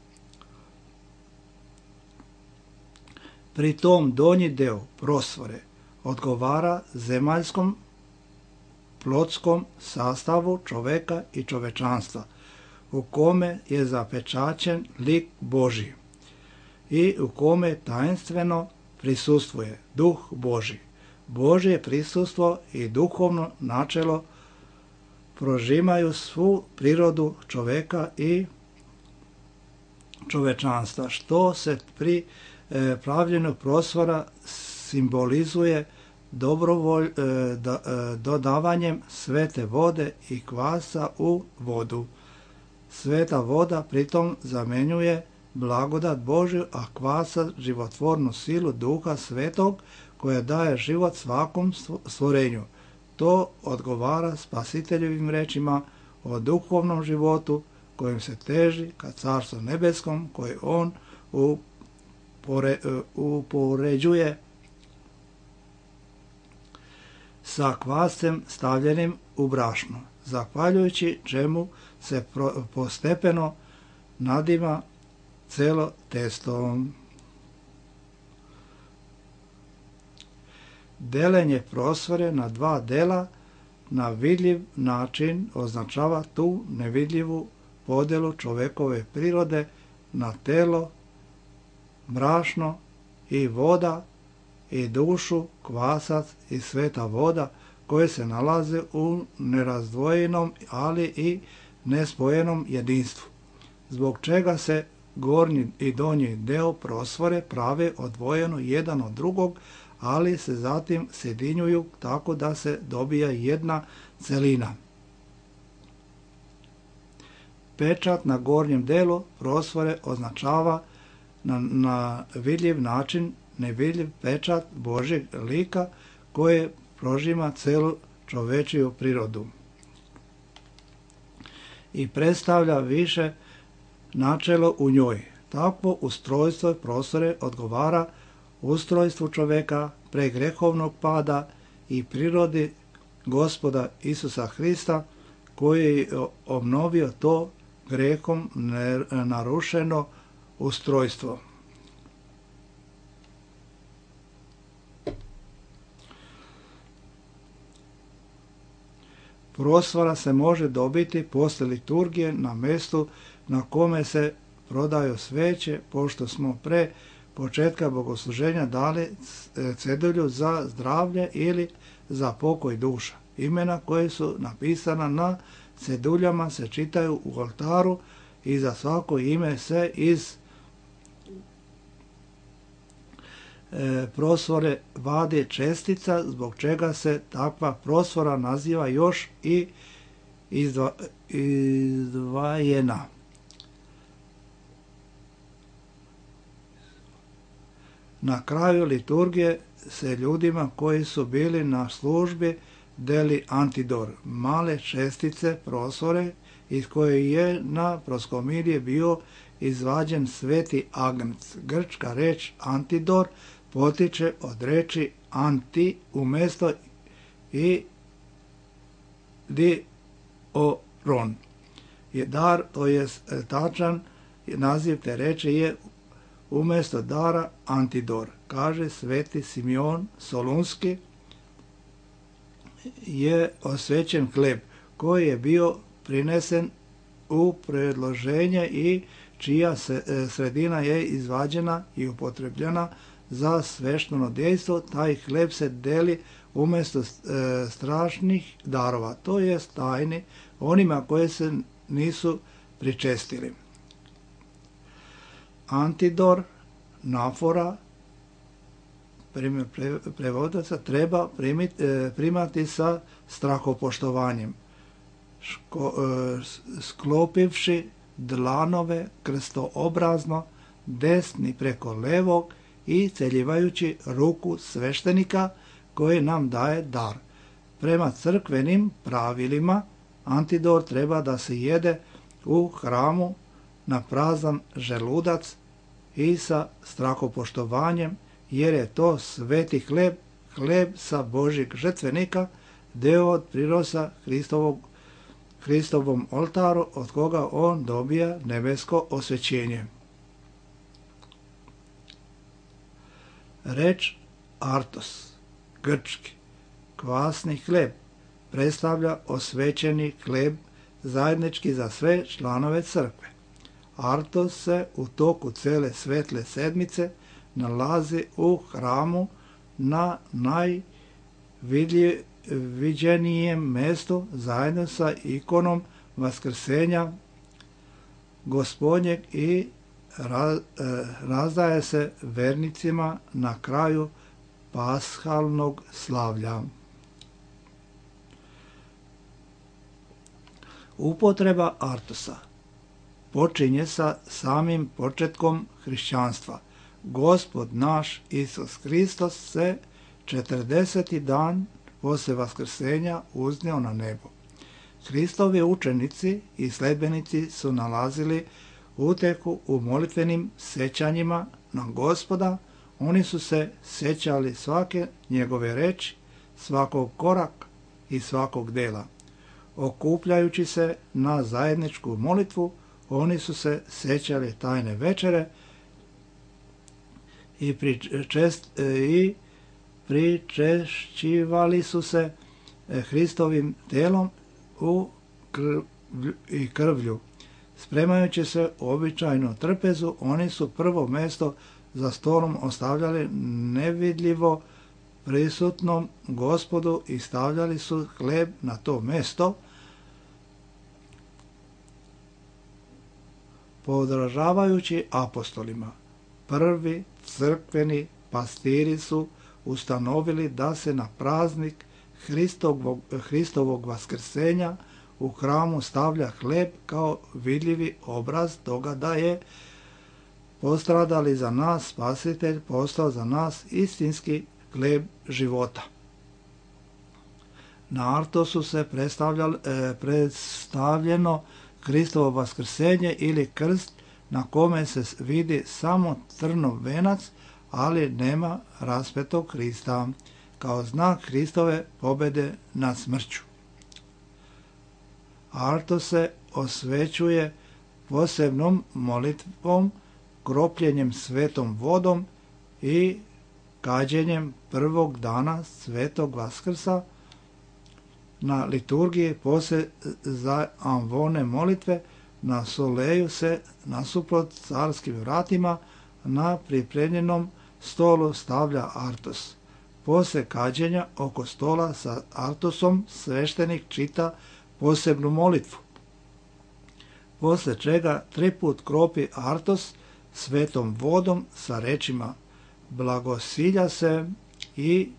Speaker 1: Pri tom donji deo prosvore odgovara zemaljskom plotskom sastavu čoveka i čovečanstva, u kome je zapečaćen lik Božji i u kome tajenstveno prisustvuje Duh Božji. Božje prisustvo i duhovno načelo prožimaju svu prirodu čoveka i čovečanstva, što se pri pravljenju prosvora simbolizuje dodavanjem svete vode i kvasa u vodu. Sveta voda pritom zamjenjuje blagodat Božju, a kvasa životvornu silu Duha Svetog koja daje život svakom stvorenju. To odgovara Spasiteljevim rečima o duhovnom životu kojim se teži ka Carstvu nebeskom koje on upoređuje sa kvascem stavljenim u brašno, zahvaljujući čemu se postepeno nadima celo testo. Delenje prosvore na dva dela na vidljiv način označava tu nevidljivu podelu čovekove prirode na telo, brašno i voda i dušu, kvasac i sveta voda koje se nalaze u nerazdvojenom, ali i nespojenom jedinstvu, zbog čega se gornji i donji deo prosvore prave odvojeno jedan od drugog, ali se zatim sjedinjuju tako da se dobija jedna celina. Pečat na gornjem delu prosvore označava na vidljiv način nevidljiv pečat Božjeg lika koje prožima celu čovečiju prirodu i predstavlja više načelo u njoj. Takvo ustrojstvo prosvore odgovara ustrojstvu čoveka pre grehovnog pada i prirodi Gospoda Isusa Hrista koji je obnovio to grehom narušeno ustrojstvo. Prosvora se može dobiti posle liturgije na mjestu na kome se prodaju sveće, pošto smo pre početka bogosluženja dali cedulju za zdravlje ili za pokoj duša. Imena koje su napisana na ceduljama se čitaju u oltaru i za svako ime se iz prosvore vadi čestica, zbog čega se takva prosvora naziva još i izdvajena. Na kraju liturgije se ljudima koji su bili na službi deli antidor, male čestice prosore iz koje je na proskomilije bio izvađen sveti agnec. Grčka reč antidor potiče od reči anti umjesto i dioron. Je dar, to je tačan naziv te reči je umjesto dara antidor. Kaže sveti Simeon Solunski, je osvećen hleb koji je bio prinesen u predloženje i čija sredina je izvađena i upotrebljena za svešteno dejstvo. Taj hleb se deli umjesto strašnih darova, to je tajni onima koje se nisu pričestili. Antidor, nafora, prevodaca, treba primati sa strahopoštovanjem, sklopivši dlanove krstoobrazno desni preko levog i celjivajući ruku sveštenika koji nam daje dar. Prema crkvenim pravilima antidor treba da se jede u hramu na prazan želudac i sa strahopoštovanjem, jer je to sveti hleb, hleb sa Božjeg žrtvenika, deo od prirosa Hristovom oltaru, od koga on dobija nebesko osvećenje. Reč artos, grčki, kvasni hleb, predstavlja osvećeni hleb zajednički za sve članove crkve. Artos se u toku cele svetle sedmice nalazi u hramu na najviđenijem mestu zajedno sa ikonom Vaskrsenja Gospodnjeg i razdaje se vernicima na kraju pashalnog slavlja. Upotreba artosa počinje sa samim početkom hrišćanstva. Gospod naš Isus Hristos se 40. dan poslije vaskrsenja uzneo na nebo. Hristovi učenici i sledbenici su nalazili uteku u molitvenim sećanjima na Gospoda. Oni su se sećali svake njegove reči, svakog koraka i svakog dela. Okupljajući se na zajedničku molitvu, oni su se sećali tajne večere i pričešćivali su se Hristovim telom i krvlju. Spremajući se običajnu trpezu, oni su prvo mesto za stolom ostavljali nevidljivo prisutnom Gospodu i stavljali su hleb na to mesto. Podražavajući apostolima, prvi crkveni pastiri su ustanovili da se na praznik Hristovog vaskrsenja u hramu stavlja hleb kao vidljivi obraz toga da je postradali za nas Spasitelj, postao za nas istinski hleb života. Na artosu se predstavljeno Hristovo vaskrsenje ili krst na kome se vidi samo crnov venac, ali nema raspetog Hrista, kao znak Hristove pobjede nad smrću. Artos se osvećuje posebnom molitvom, kropljenjem svetom vodom i kađenjem prvog dana svetog Vaskrsa. Na liturgiji poslije za amvone molitve na soleju se nasuprot carskim vratima na pripremljenom stolu stavlja artos. Poslije kađenja oko stola sa artosom sveštenik čita posebnu molitvu, poslije čega 3 put kropi artos svetom vodom sa rečima blagosilja se i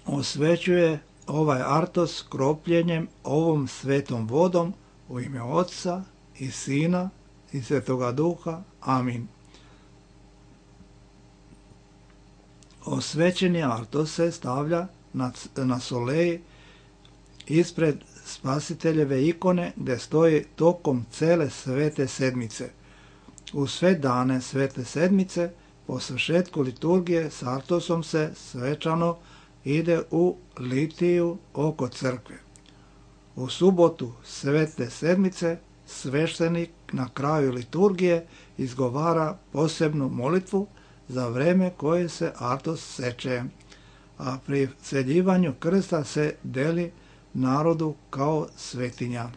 Speaker 1: osvećuje ovaj artos kropljenjem ovom svetom vodom u ime Otca i Sina i Svetoga Duha. Amin. Osvećeni artos se stavlja na soleji ispred Spasiteljeve ikone gdje stoji tokom cele svete sedmice. U sve dane svete sedmice po svršetku liturgije s artosom se svečano ide u litiju oko crkve. U subotu svete sedmice sveštenik na kraju liturgije izgovara posebnu molitvu za vreme koje se artos seče, a pri sveljivanju krsta se deli narodu kao svetinja.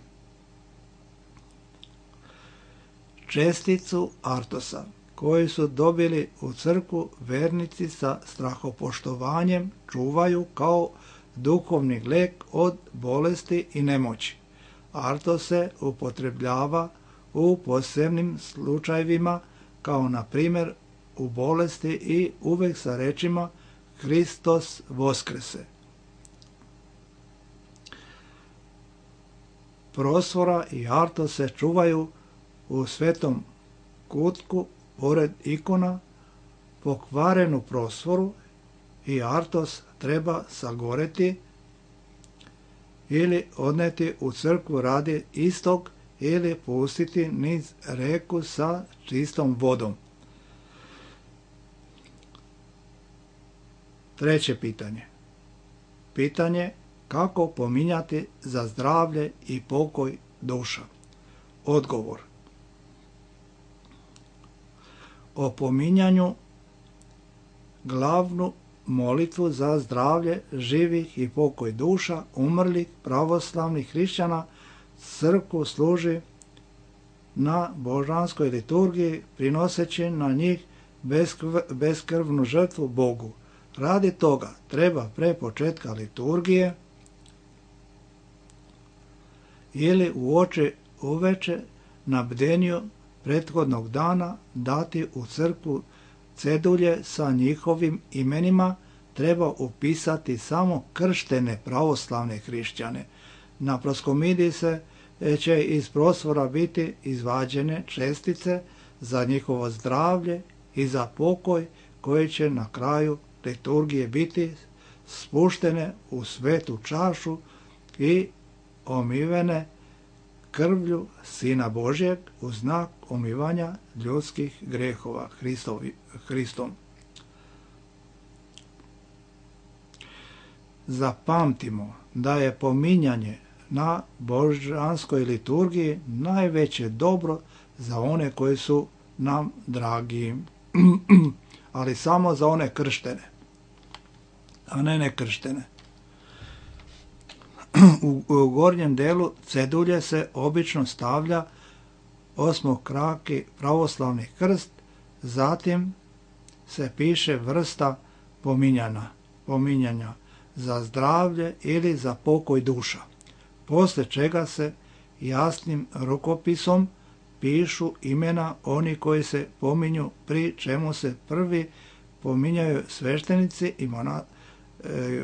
Speaker 1: Česticu artosa koji su dobili u crkvu vernici sa strahopoštovanjem čuvaju kao duhovni lek od bolesti i nemoći. Artos se upotrebljava u posebnim slučajevima kao na primjer u bolesti i uvek sa rečima Hristos Voskrese. Prosfora i artos se čuvaju u svetom kutku pored ikona. Pokvarenu prosforu i artos treba sagoreti ili odneti u crkvu radi istog ili pustiti niz reku sa čistom vodom. Treće pitanje. Pitanje kako pominjati za zdravlje i pokoj duša. Odgovor. O pominjanju glavnu molitvu za zdravlje živih i pokoj duša umrlih pravoslavnih hrišćana crkvu služi na božanskoj liturgiji prinoseći na njih beskrvnu žrtvu Bogu. Radi toga treba pre početka liturgije ili uveče na bdenju prethodnog dana dati u crkvu cedulje sa njihovim imenima, treba upisati samo krštene pravoslavne hrišćane. Na proskomidiji će iz prosvora biti izvađene čestice za njihovo zdravlje i za pokoj koji će na kraju liturgije biti spuštene u svetu čašu i omivene krvlju Sina Božjeg u znak omivanja ljudskih grehova Hristom. Zapamtimo da je pominjanje na božanskoj liturgiji najveće dobro za one koji su nam dragi, ali samo za one krštene, a ne nekrštene. U gornjem delu cedulje se obično stavlja osmokraki pravoslavni krst, zatim se piše vrsta pominjanja za zdravlje ili za pokoj duša, posle čega se jasnim rukopisom pišu imena oni koji se pominju, pri čemu se prvi pominjaju sveštenici i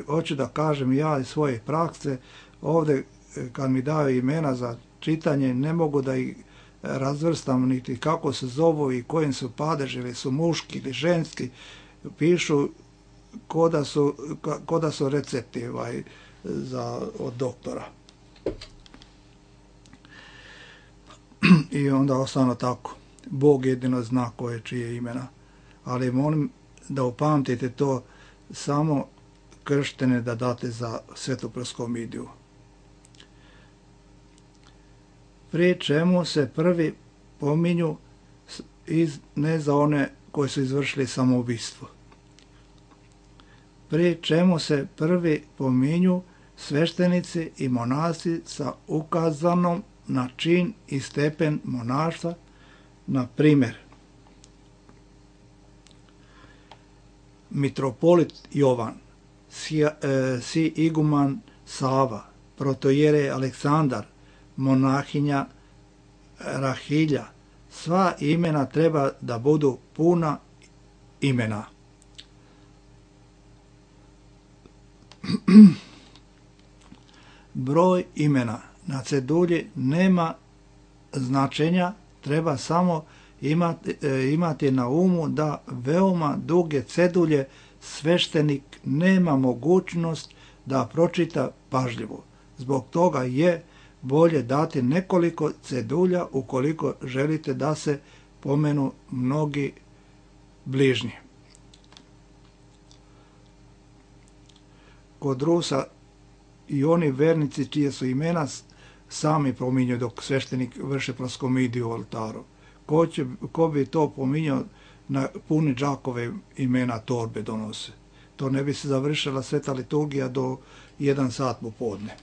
Speaker 1: hoću da kažem ja iz svoje prakse, ovdje kad mi daju imena za čitanje ne mogu da ih razvrstam niti kako se zovu i kojim su padeži, ili su muški ili ženski, pišu ko da su recepti od doktora. I onda ostano tako. Bog jedino zna koje čije imena. Ali molim da upamtite to, samo krštene da date za svetu proskomidiju. Pri čemu se prvi pominju ne za one koji su izvršili samoubistvo. Pri čemu se prvi pominju sveštenici i monasi sa ukazanom na čin i stepen monaštva, na primjer mitropolit Jovan, si iguman Sava, protojere Aleksandar, monahinja Rahilja. Sva imena treba da budu puna imena. Broj imena na cedulji nema značenja, treba samo imati na umu da veoma duge cedulje sveštenik nema mogućnost da pročita pažljivo. Zbog toga je bolje dati nekoliko cedulja ukoliko želite da se pomenu mnogi bližnji. Kod Rusa i oni vernici čije su imena sami pominju dok sveštenik vrši proskomidiju u oltaru. Ko bi to pominjao, na puni džakove imena torbe donose. To ne bi se završila sveta liturgija do 1 sat popodne.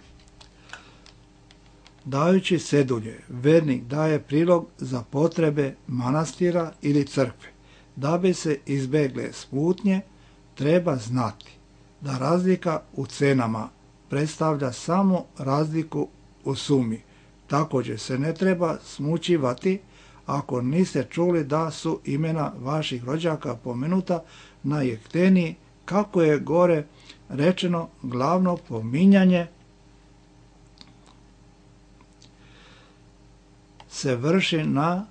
Speaker 1: Dajući cedulje, vernik daje prilog za potrebe manastira ili crkve. Da bi se izbegle smutnje, treba znati da razlika u cenama predstavlja samo razliku u sumi. Također se ne treba smućivati ako niste čuli da su imena vaših rođaka pomenuta na jekteniji, kako je gore rečeno, glavno pominjanje se vrši na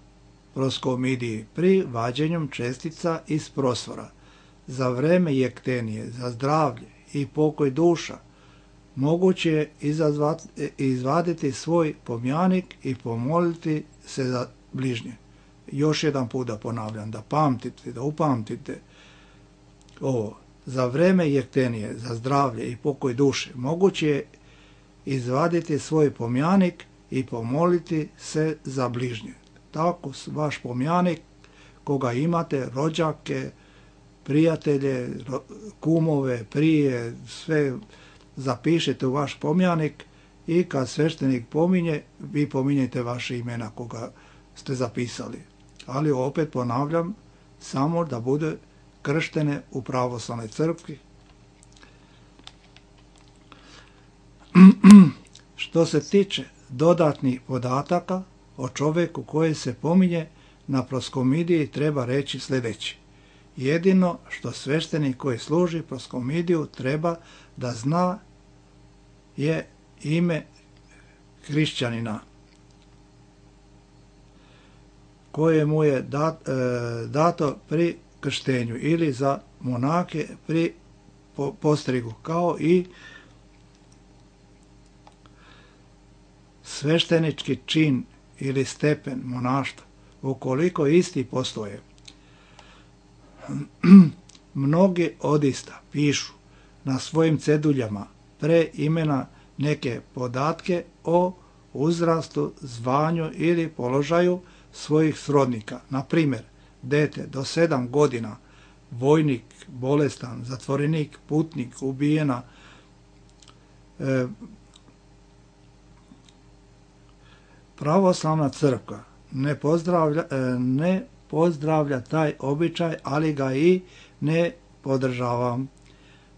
Speaker 1: proskomidiji pri vađenju čestica iz prosvora. Za vreme jektenije, za zdravlje i pokoj duša, moguće je izvaditi svoj pomjanik i pomoliti se za bližnje. Još jedan put da ponavljam, da upamtite ovo. Za vreme jektenije, za zdravlje i pokoj duše, moguće je izvaditi svoj pomjanik i pomoliti se za bližnje. Tako vaš pomjanik, koga imate, rođake, prijatelje, kumove, prije, sve zapišete u vaš pomjanik i kad sveštenik pominje, vi pominjete vaše imena koga ste zapisali. Ali opet ponavljam, samo da bude krštene u pravoslavnoj crkvi. Što se tiče dodatnih podataka o čovjeku koji se pominje na proskomidiji, treba reći sljedeće. Jedino što sveštenik koji služi proskomidiju treba da zna je ime hrišćanina koje mu je dato pri krštenju ili za monake pri postrigu, kao i sveštenički čin ili stepen monaštva, ukoliko isti postoje. Mnogi odista pišu na svojim ceduljama pre imena neke podatke o uzrastu, zvanju ili položaju svojih srodnika. Na primjer, dete do 7 godina, vojnik, bolestan, zatvorenik, putnik, ubijena, pravoslavna crkva ne pozdravlja taj običaj, ali ga i ne podržava.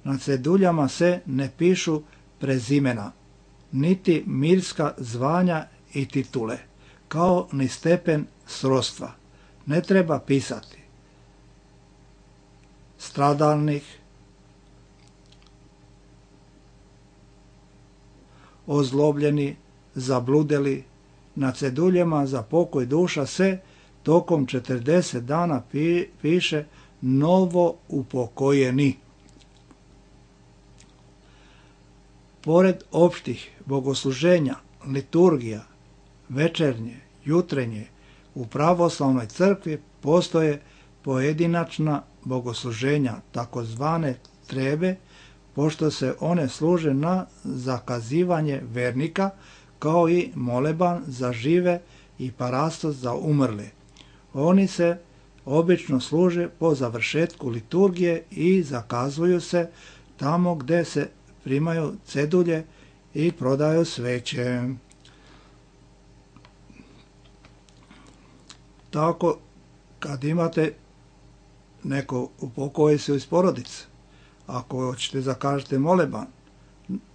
Speaker 1: Na ceduljama se ne pišu prezimena, niti mirska zvanja i titule, kao ni stepen srodstva. Ne treba pisati stradalnih, ozlobljeni, zabludeli. Na ceduljama za pokoj duša se tokom 40 dana piše novo upokojeni. Pored opštih bogosluženja, liturgija, večernje, jutrenje, u pravoslavnoj crkvi postoje pojedinačna bogosluženja, takozvane trebe, pošto se one služe na zakazivanje vernika, kao i moleban za žive i parastos za umrle. Oni se obično služe po završetku liturgije i zakazuju se tamo gde se primaju cedulje i prodaju sveće. Tako, kad imate neko upokoji se iz porodice, ako hoćete zakažete moleban,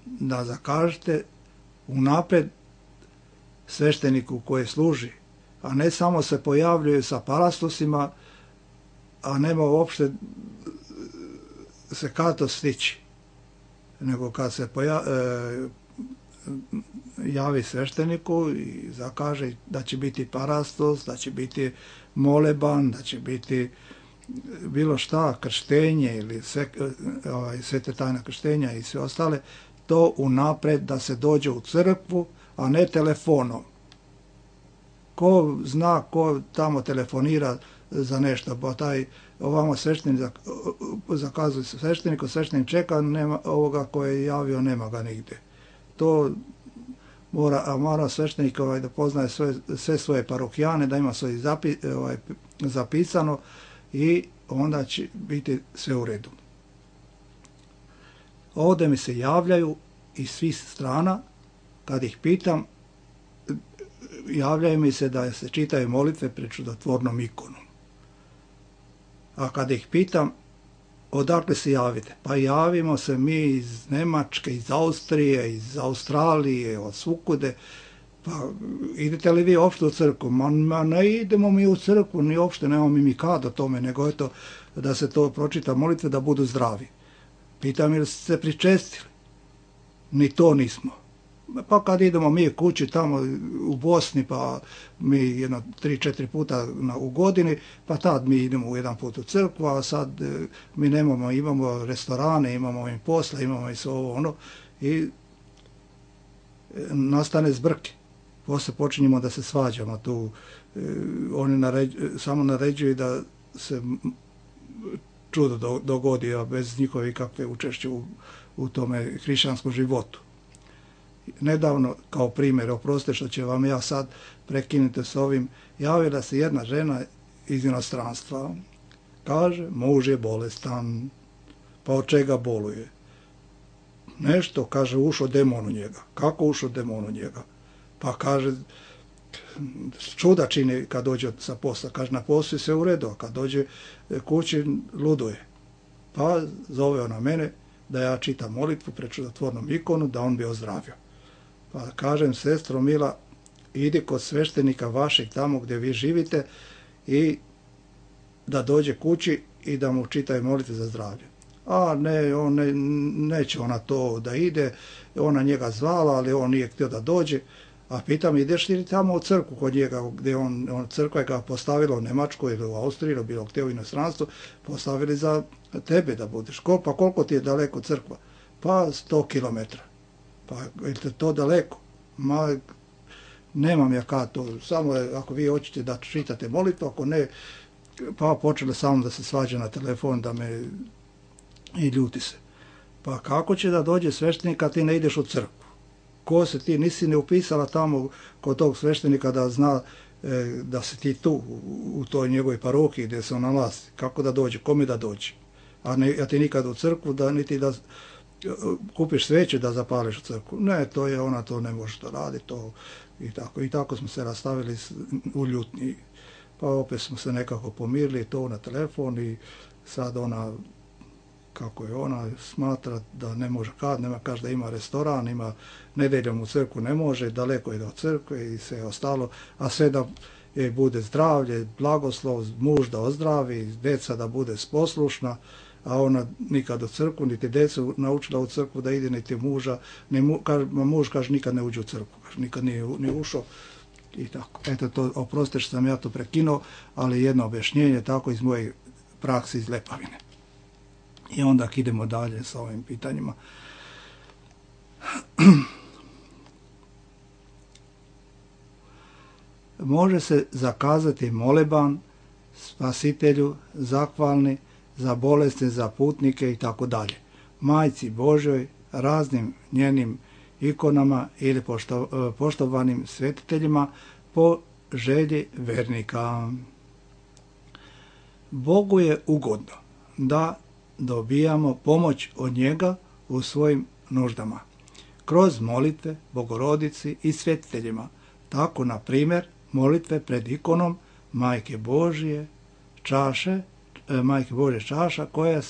Speaker 1: da zakažete unapred svešteniku koji služi, a ne samo se pojavljuju sa parastosima, a nema uopšte se kad to stići. Nego kad se javi svešteniku i zakaže da će biti parastos, da će biti moleban, da će biti bilo šta, krštenje ili svete tajna krštenja i sve ostale, to unapred da se dođe u crkvu, a ne telefonom. Ko zna, ko tamo telefonira za nešto, pa taj ovamo sveštenik zakazuje svešteniku, sveštenik čeka, nema ovoga koje je javio, nema ga nigdje. To mora sveštenik da poznaje sve svoje parohijane, da ima svoje zapisano i onda će biti sve u redu. Ovdje mi se javljaju iz svih strana, kad ih pitam, javljaju mi se da se čitaju molitve pred čudotvornom ikonom. A kad ih pitam, odakle se javite? Pa javimo se mi iz Njemačke, iz Austrije, iz Australije, od svukude. Pa idete li vi uopšte u crkvu? Ma ne idemo mi u crkvu, ni uopšte nemamo mi kad o tome, nego eto da se to pročita molitve da budu zdravi. Pitam ili ste se pričestili? Ni to nismo. Pa kad idemo mi kući tamo u Bosni, pa mi 3-4 puta u godini, pa tad mi idemo jedan put u crkvu, a sad mi imamo restorane, imamo im posla, imamo i sve ovo ono, i nastane zbrke. Poslije počinjemo da se svađamo tu, oni samo naređuju da se čudo dogodi, a bez njihove kakve učešće u tome hrišćanskom životu. Nedavno, kao primjer, oprostite što će vam ja sad prekinuti s ovim, javila se jedna žena iz inostranstva. Kaže, muž je bolestan, pa od čega boluje? Nešto, kaže, ušao demon u njega. Kako ušao demon u njega? Pa kaže, čuda čini kad dođe sa posla. Kaže, na poslu sve u redu, a kad dođe kući luduje. Pa zove ona mene da ja čitam molitvu pred čudotvornom ikonu, da on bi ozdravio. Pa kažem, sestro mila, idi kod sveštenika vašeg tamo gdje vi živite i da dođe kući i da mu čitaju molitve za zdravlje. A ne, neće ona to da ide, ona njega zvala, ali on nije htio da dođe. A pitam, ideš li tamo u crkvu kod njega, gdje crkva je ga postavila u Njemačkoj ili u Austriji, ili bilo gdje u inostranstvu, postavili za tebe da budeš. Pa koliko ti je daleko crkva? Pa 100 kilometara. Pa je to daleko? Ma, nemam ja kad to, samo ako vi hoćete da čitate molitvu, ako ne, pa počele samo da se svađa na telefon, da me i ljuti se. Pa kako će da dođe sveštenik kad ti ne ideš u crkvu? Ko se ti, nisi ne upisala tamo kod tog sveštenika da zna da si ti tu, u toj njegovoj parohiji gdje se on nalazi. Kako da dođe, kome da dođe? A ti nikad u crkvu, niti da kupiš sveće da zapališ u crkvu. Ne, ona to ne može da radi, to i tako. I tako smo se rastavili u ljutnji. Pa opet smo se nekako pomirili, to na telefon i sad ona, kako je ona, smatra da ne može kaže da ima restoran, ima nedeljom u crkvu ne može, daleko je od crkve i sve ostalo, a sve da je bude zdravlje, blagoslov, muž da ozdravi, deca da bude poslušna, a ona nikad u crkvu, niti decu naučila u crkvu da ide, niti muža, muž kaže nikad ne uđe u crkvu, kaže, nikad nije ušao i tako. Eto to, oprostite što sam ja to prekinuo, ali jedno objašnjenje tako iz moje prakse iz Lepavine. I onda idemo dalje sa ovim pitanjima. Može se zakazati moleban Spasitelju, zahvalni, za bolesne, za putnike i tako dalje. Majci Božoj, raznim njenim ikonama ili poštovanim svetiteljima po želji vernika. Bogu je ugodno da dobijamo pomoć od njega u svojim nuždama, kroz molitve Bogorodici i svetiteljima. Tako, na primjer, molitve pred ikonom Majke Božje čaša koja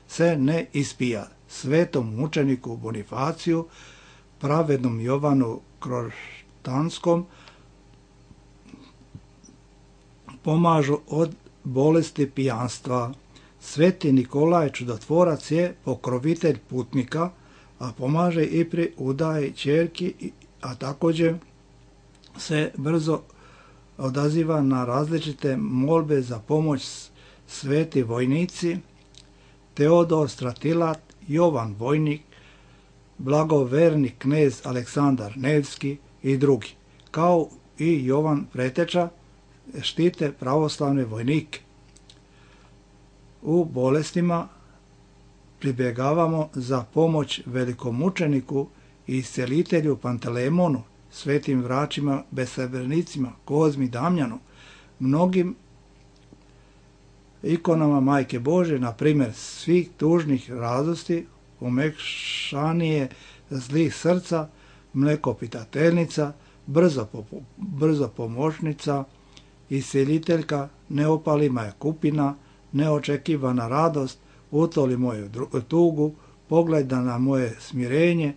Speaker 1: se ne ispija, svetom mučeniku Bonifaciju, pravednom Jovanu Kroštanskom, pomažu od bolesti pijanstva. Sveti Nikolaj Čudotvorac je pokrovitelj putnika, a pomaže i pri udaji ćerki, a također se brzo odaziva na različite molbe za pomoć sveti vojnici, Teodor Stratilat, Jovan Vojnik, blagoverni knez Aleksandar Nevski i drugi, kao i Jovan Preteča, štite pravoslavne vojnike. U bolestima pribjegavamo za pomoć velikomučeniku i iscelitelju Pantelemonu, svetim vračima, besrebrnicima, Kozmi Damjanu, mnogim ikonama Majke Božje, na primjer svih tužnih radosti, umekšanije zlih srca, mlekopitateljnica, brzo pomoćnica, isceliteljka, neopalima je kupina, neočekivana radost, utoli moju tugu, pogleda na moje smirenje,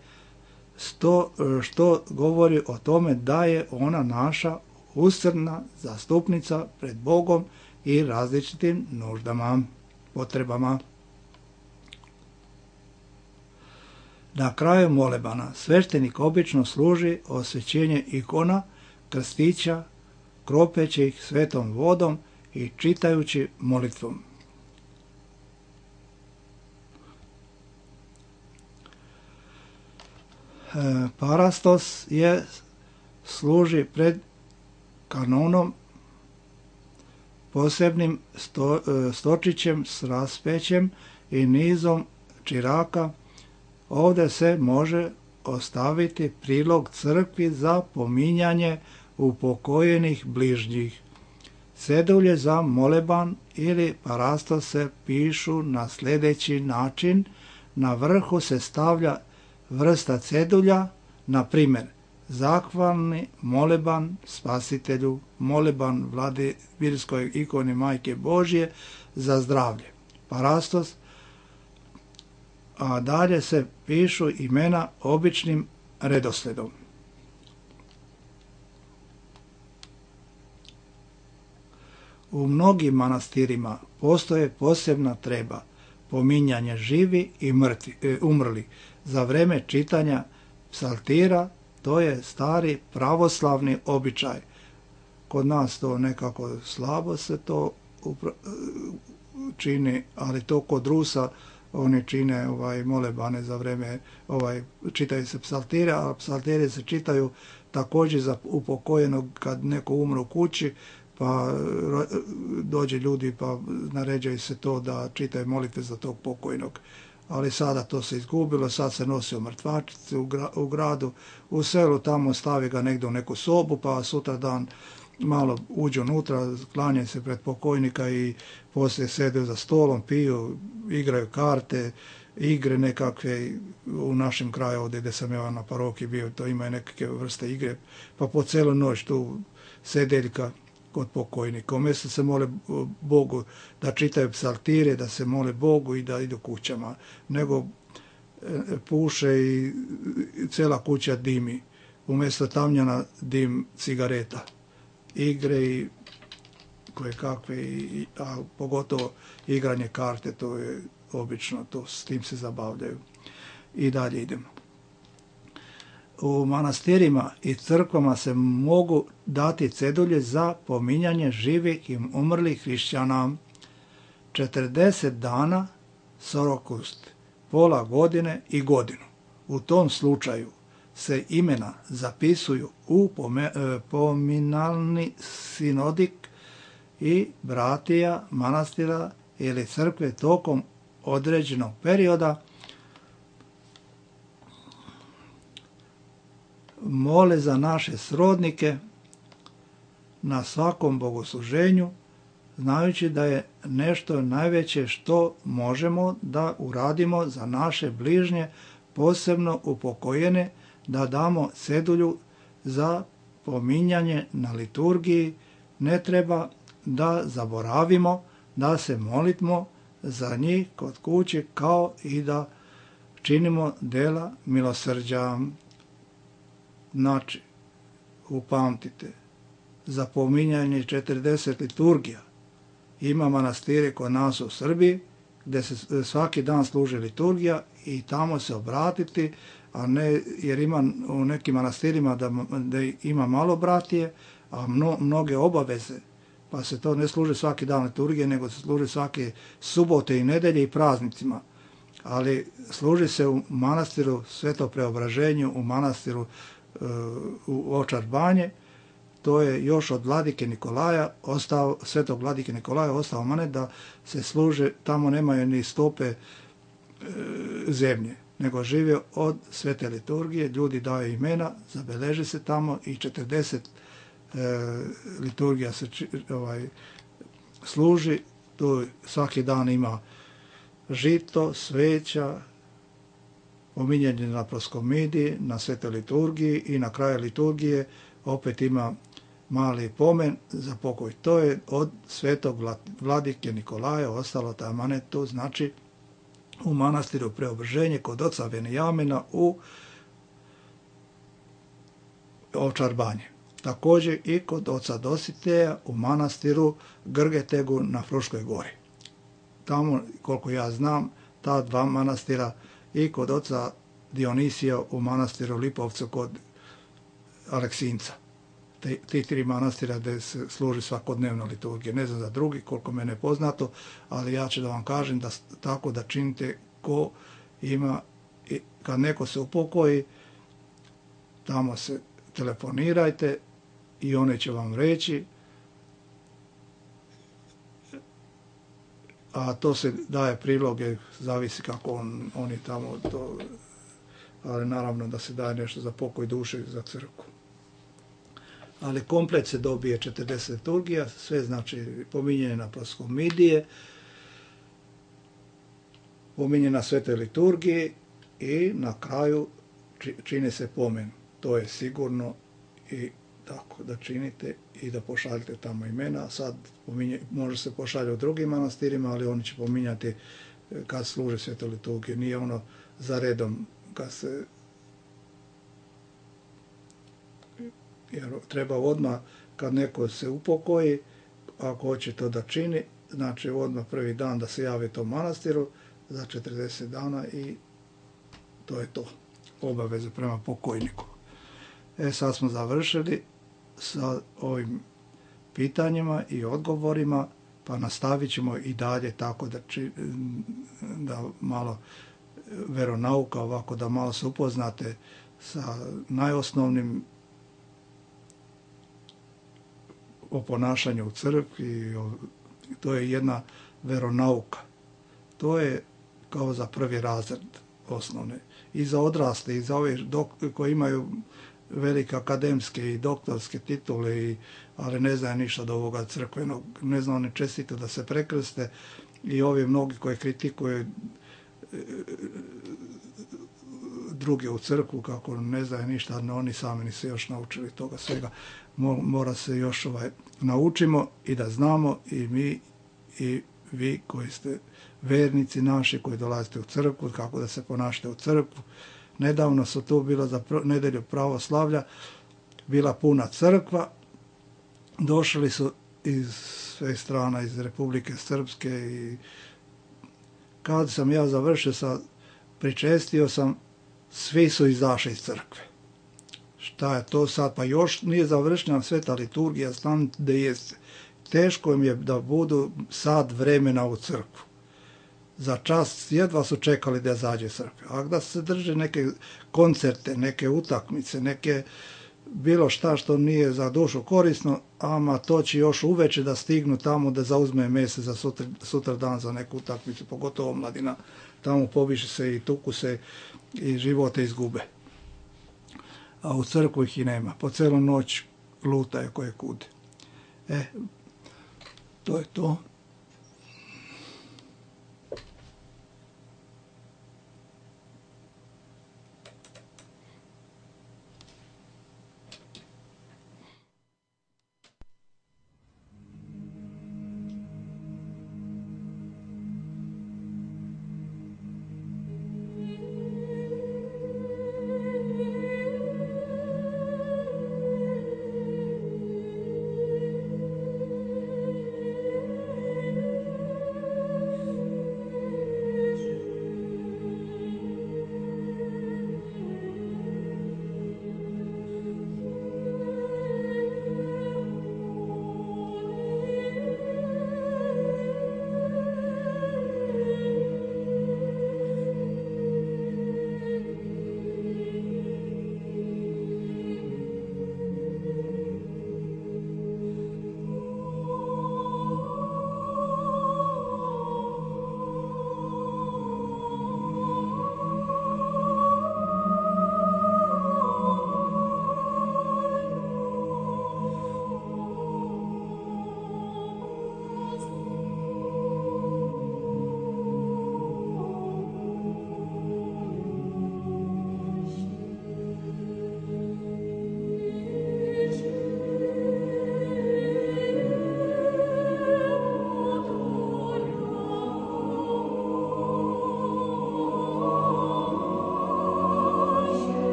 Speaker 1: što govori o tome da je ona naša usrdna zastupnica pred Bogom i različitim nuždama, potrebama. Na kraju molebana sveštenik obično služi osvećenje ikona, krstića, kropeći ih svetom vodom i čitajući molitvom. Parastos služi pred kanonom posebnim stočićem s raspećem i nizom čiraka. Ovdje se može ostaviti prilog crkvi za pominjanje upokojenih bližnjih. Cedulje za moleban ili parastos se pišu na sljedeći način. Na vrhu se stavlja vrsta cedulja, na primjer zahvalni moleban Spasitelju, moleban Vladimirskoj ikoni Majke Božje za zdravlje, parastos, a dalje se pišu imena običnim redosledom. U mnogim manastirima postoje posebna treba, pominjanje živi i umrli za vreme čitanja psaltira. To je stari pravoslavni običaj. Kod nas to nekako slabo se to čini, ali to kod Rusa oni čine molebane za vreme, čitaju se psaltire, a psaltire se čitaju također za upokojenog kad neko umre u kući, pa dođe ljudi pa naređaju se to da čitaju molitve za tog pokojnog. Ali sada to se izgubilo, sad se nosi u mrtvačnici u gradu, u selu, tamo stavi ga negdje u neku sobu, pa sutra dan malo uđu unutra, klanjaju se pred pokojnika i poslije sede za stolom, piju, igraju karte, igre nekakve. U našem kraju ovdje gdje sam ja na paroki bio, to imaju nekakve vrste igre, pa po cijelu noć tu sedeljka kod pokojnika. Umjesto se mole Bogu da čitaju psaltire, da se mole Bogu i da idu kućama, nego puše i cijela kuća dimi. Umjesto tamjana dim cigareta. Igre i koje kakve, a pogotovo igranje karte, to je obično, s tim se zabavljaju. I dalje idemo. U manastirima i crkvama se mogu dati cedulje za pominjanje živih i umrlih hrišćana. 40 dana, sorokust, pola godine i godinu. U tom slučaju se imena zapisuju u pominalni sinodik i bratija manastira ili crkve tokom određenog perioda mole za naše srodnike na svakom bogosluženju, znajući da je nešto najveće što možemo da uradimo za naše bližnje, posebno upokojene, da damo cedulju za pominjanje na liturgiji. Ne treba da zaboravimo da se molimo za njih kod kuće, kao i da činimo dela milosrđa. Znači, upamtite, za pominjanje 40 liturgija. Ima manastire kod nas u Srbiji gdje se svaki dan služi liturgija i tamo se obratiti, a ne, jer ima u nekim manastirima da ima malo bratije, a mnoge obaveze pa se to ne služi svaki dan liturgije, nego se služi svake subote i nedelje i praznicima. Ali služi se u manastiru Sveto Preobraženju, u manastiru u Ovčar Banje. To je još od vladike Nikolaja, svetog vladike Nikolaja ostao manet da se služe, tamo nemaju ni stope zemlje, nego žive od svete liturgije, ljudi daju imena, zabeleži se tamo i 40 liturgija se služi, tu svaki dan ima žito, sveća, pominjanje na proskomidiji, na svete liturgiji i na kraju liturgije opet ima mali pomen za pokoj. To je od svetog vladike Nikolaja ostalo taj manet, to znači u manastiru Preobraženje kod oca Venijamina u Ovčar Banje. Također i kod oca Dositeja u manastiru Grgetegu na Fruškoj gori. Tamo, koliko ja znam, ta dva manastira i kod oca Dionisija u manastiru Lipovcu kod Aleksinca. Ti tri manastira gdje se služi svakodnevno liturgije. Ne znam za drugi, koliko mene je poznato, ali ja ću da vam kažem da tako da činite ko ima, kad neko se upokoji, tamo se telefonirajte i one će vam reći, a to se daje priloge, zavisi kako oni tamo to, ali naravno da se daje nešto za pokoj duše za crkvu. Ali komplet se dobije 40 liturgija, sve znači pominjanje na proskomidije, pominje na svete liturgiji i na kraju čini se pomen. To je sigurno i tako da činite i da pošaljete tamo imena. Sad može se pošalje u drugim manastirima, ali oni će pominjati kad služe svete liturgije. Nije ono za redom kad se... Jer treba odmah kad neko se upokoji, ako hoće to da čini, znači odmah prvi dan da se javi tom manastiru za 40 dana i to je to. Obaveze prema pokojniku. Sad smo završili sa ovim pitanjima i odgovorima, pa nastavit ćemo i dalje tako da malo veronauka, ovako da malo se upoznate sa najosnovnim o ponašanju u crkvi. To je jedna veronauka. To je kao za prvi razred osnovne. I za odrasle, i za ove koji imaju velike akademske i doktorske titule, ali ne znaju ništa od ovoga crkvenog. Ne znaju ni čestito da se prekrste i ovi mnogi koji kritikuju druge u crkvu kako ne znaju ništa, no oni sami nisu još naučili toga svega. Mora se još naučimo i da znamo i mi i vi koji ste vernici naši koji dolazite u crkvu, kako da se ponašate u crkvu. Nedavno su tu bilo za nedelju pravoslavlja, bila puna crkva, došli su iz sve strana, iz Republike Srpske i kad sam ja završio pričestio sam, svi su izašli iz crkve. Šta je to sad? Pa još nije završena sveta liturgija, znam da jeste. Teško im je da budu sad vremena u crkvu. Za čas jedva su čekali da zađe crkve. A da se drže neke koncerte, neke utakmice, neke bilo šta što nije za dušu korisno, ama to će još uveče da stignu tamo da zauzme mese za sutra dan za neku utakmicu, pogotovo omladina. Tamo pobiše se i tuku se i živote izgube. A u crkvu ih i nema. Po celu noć lutaju koje kude. To je to.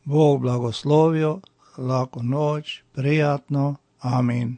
Speaker 1: Bog blagoslovio, laku noć, prijatno, amin.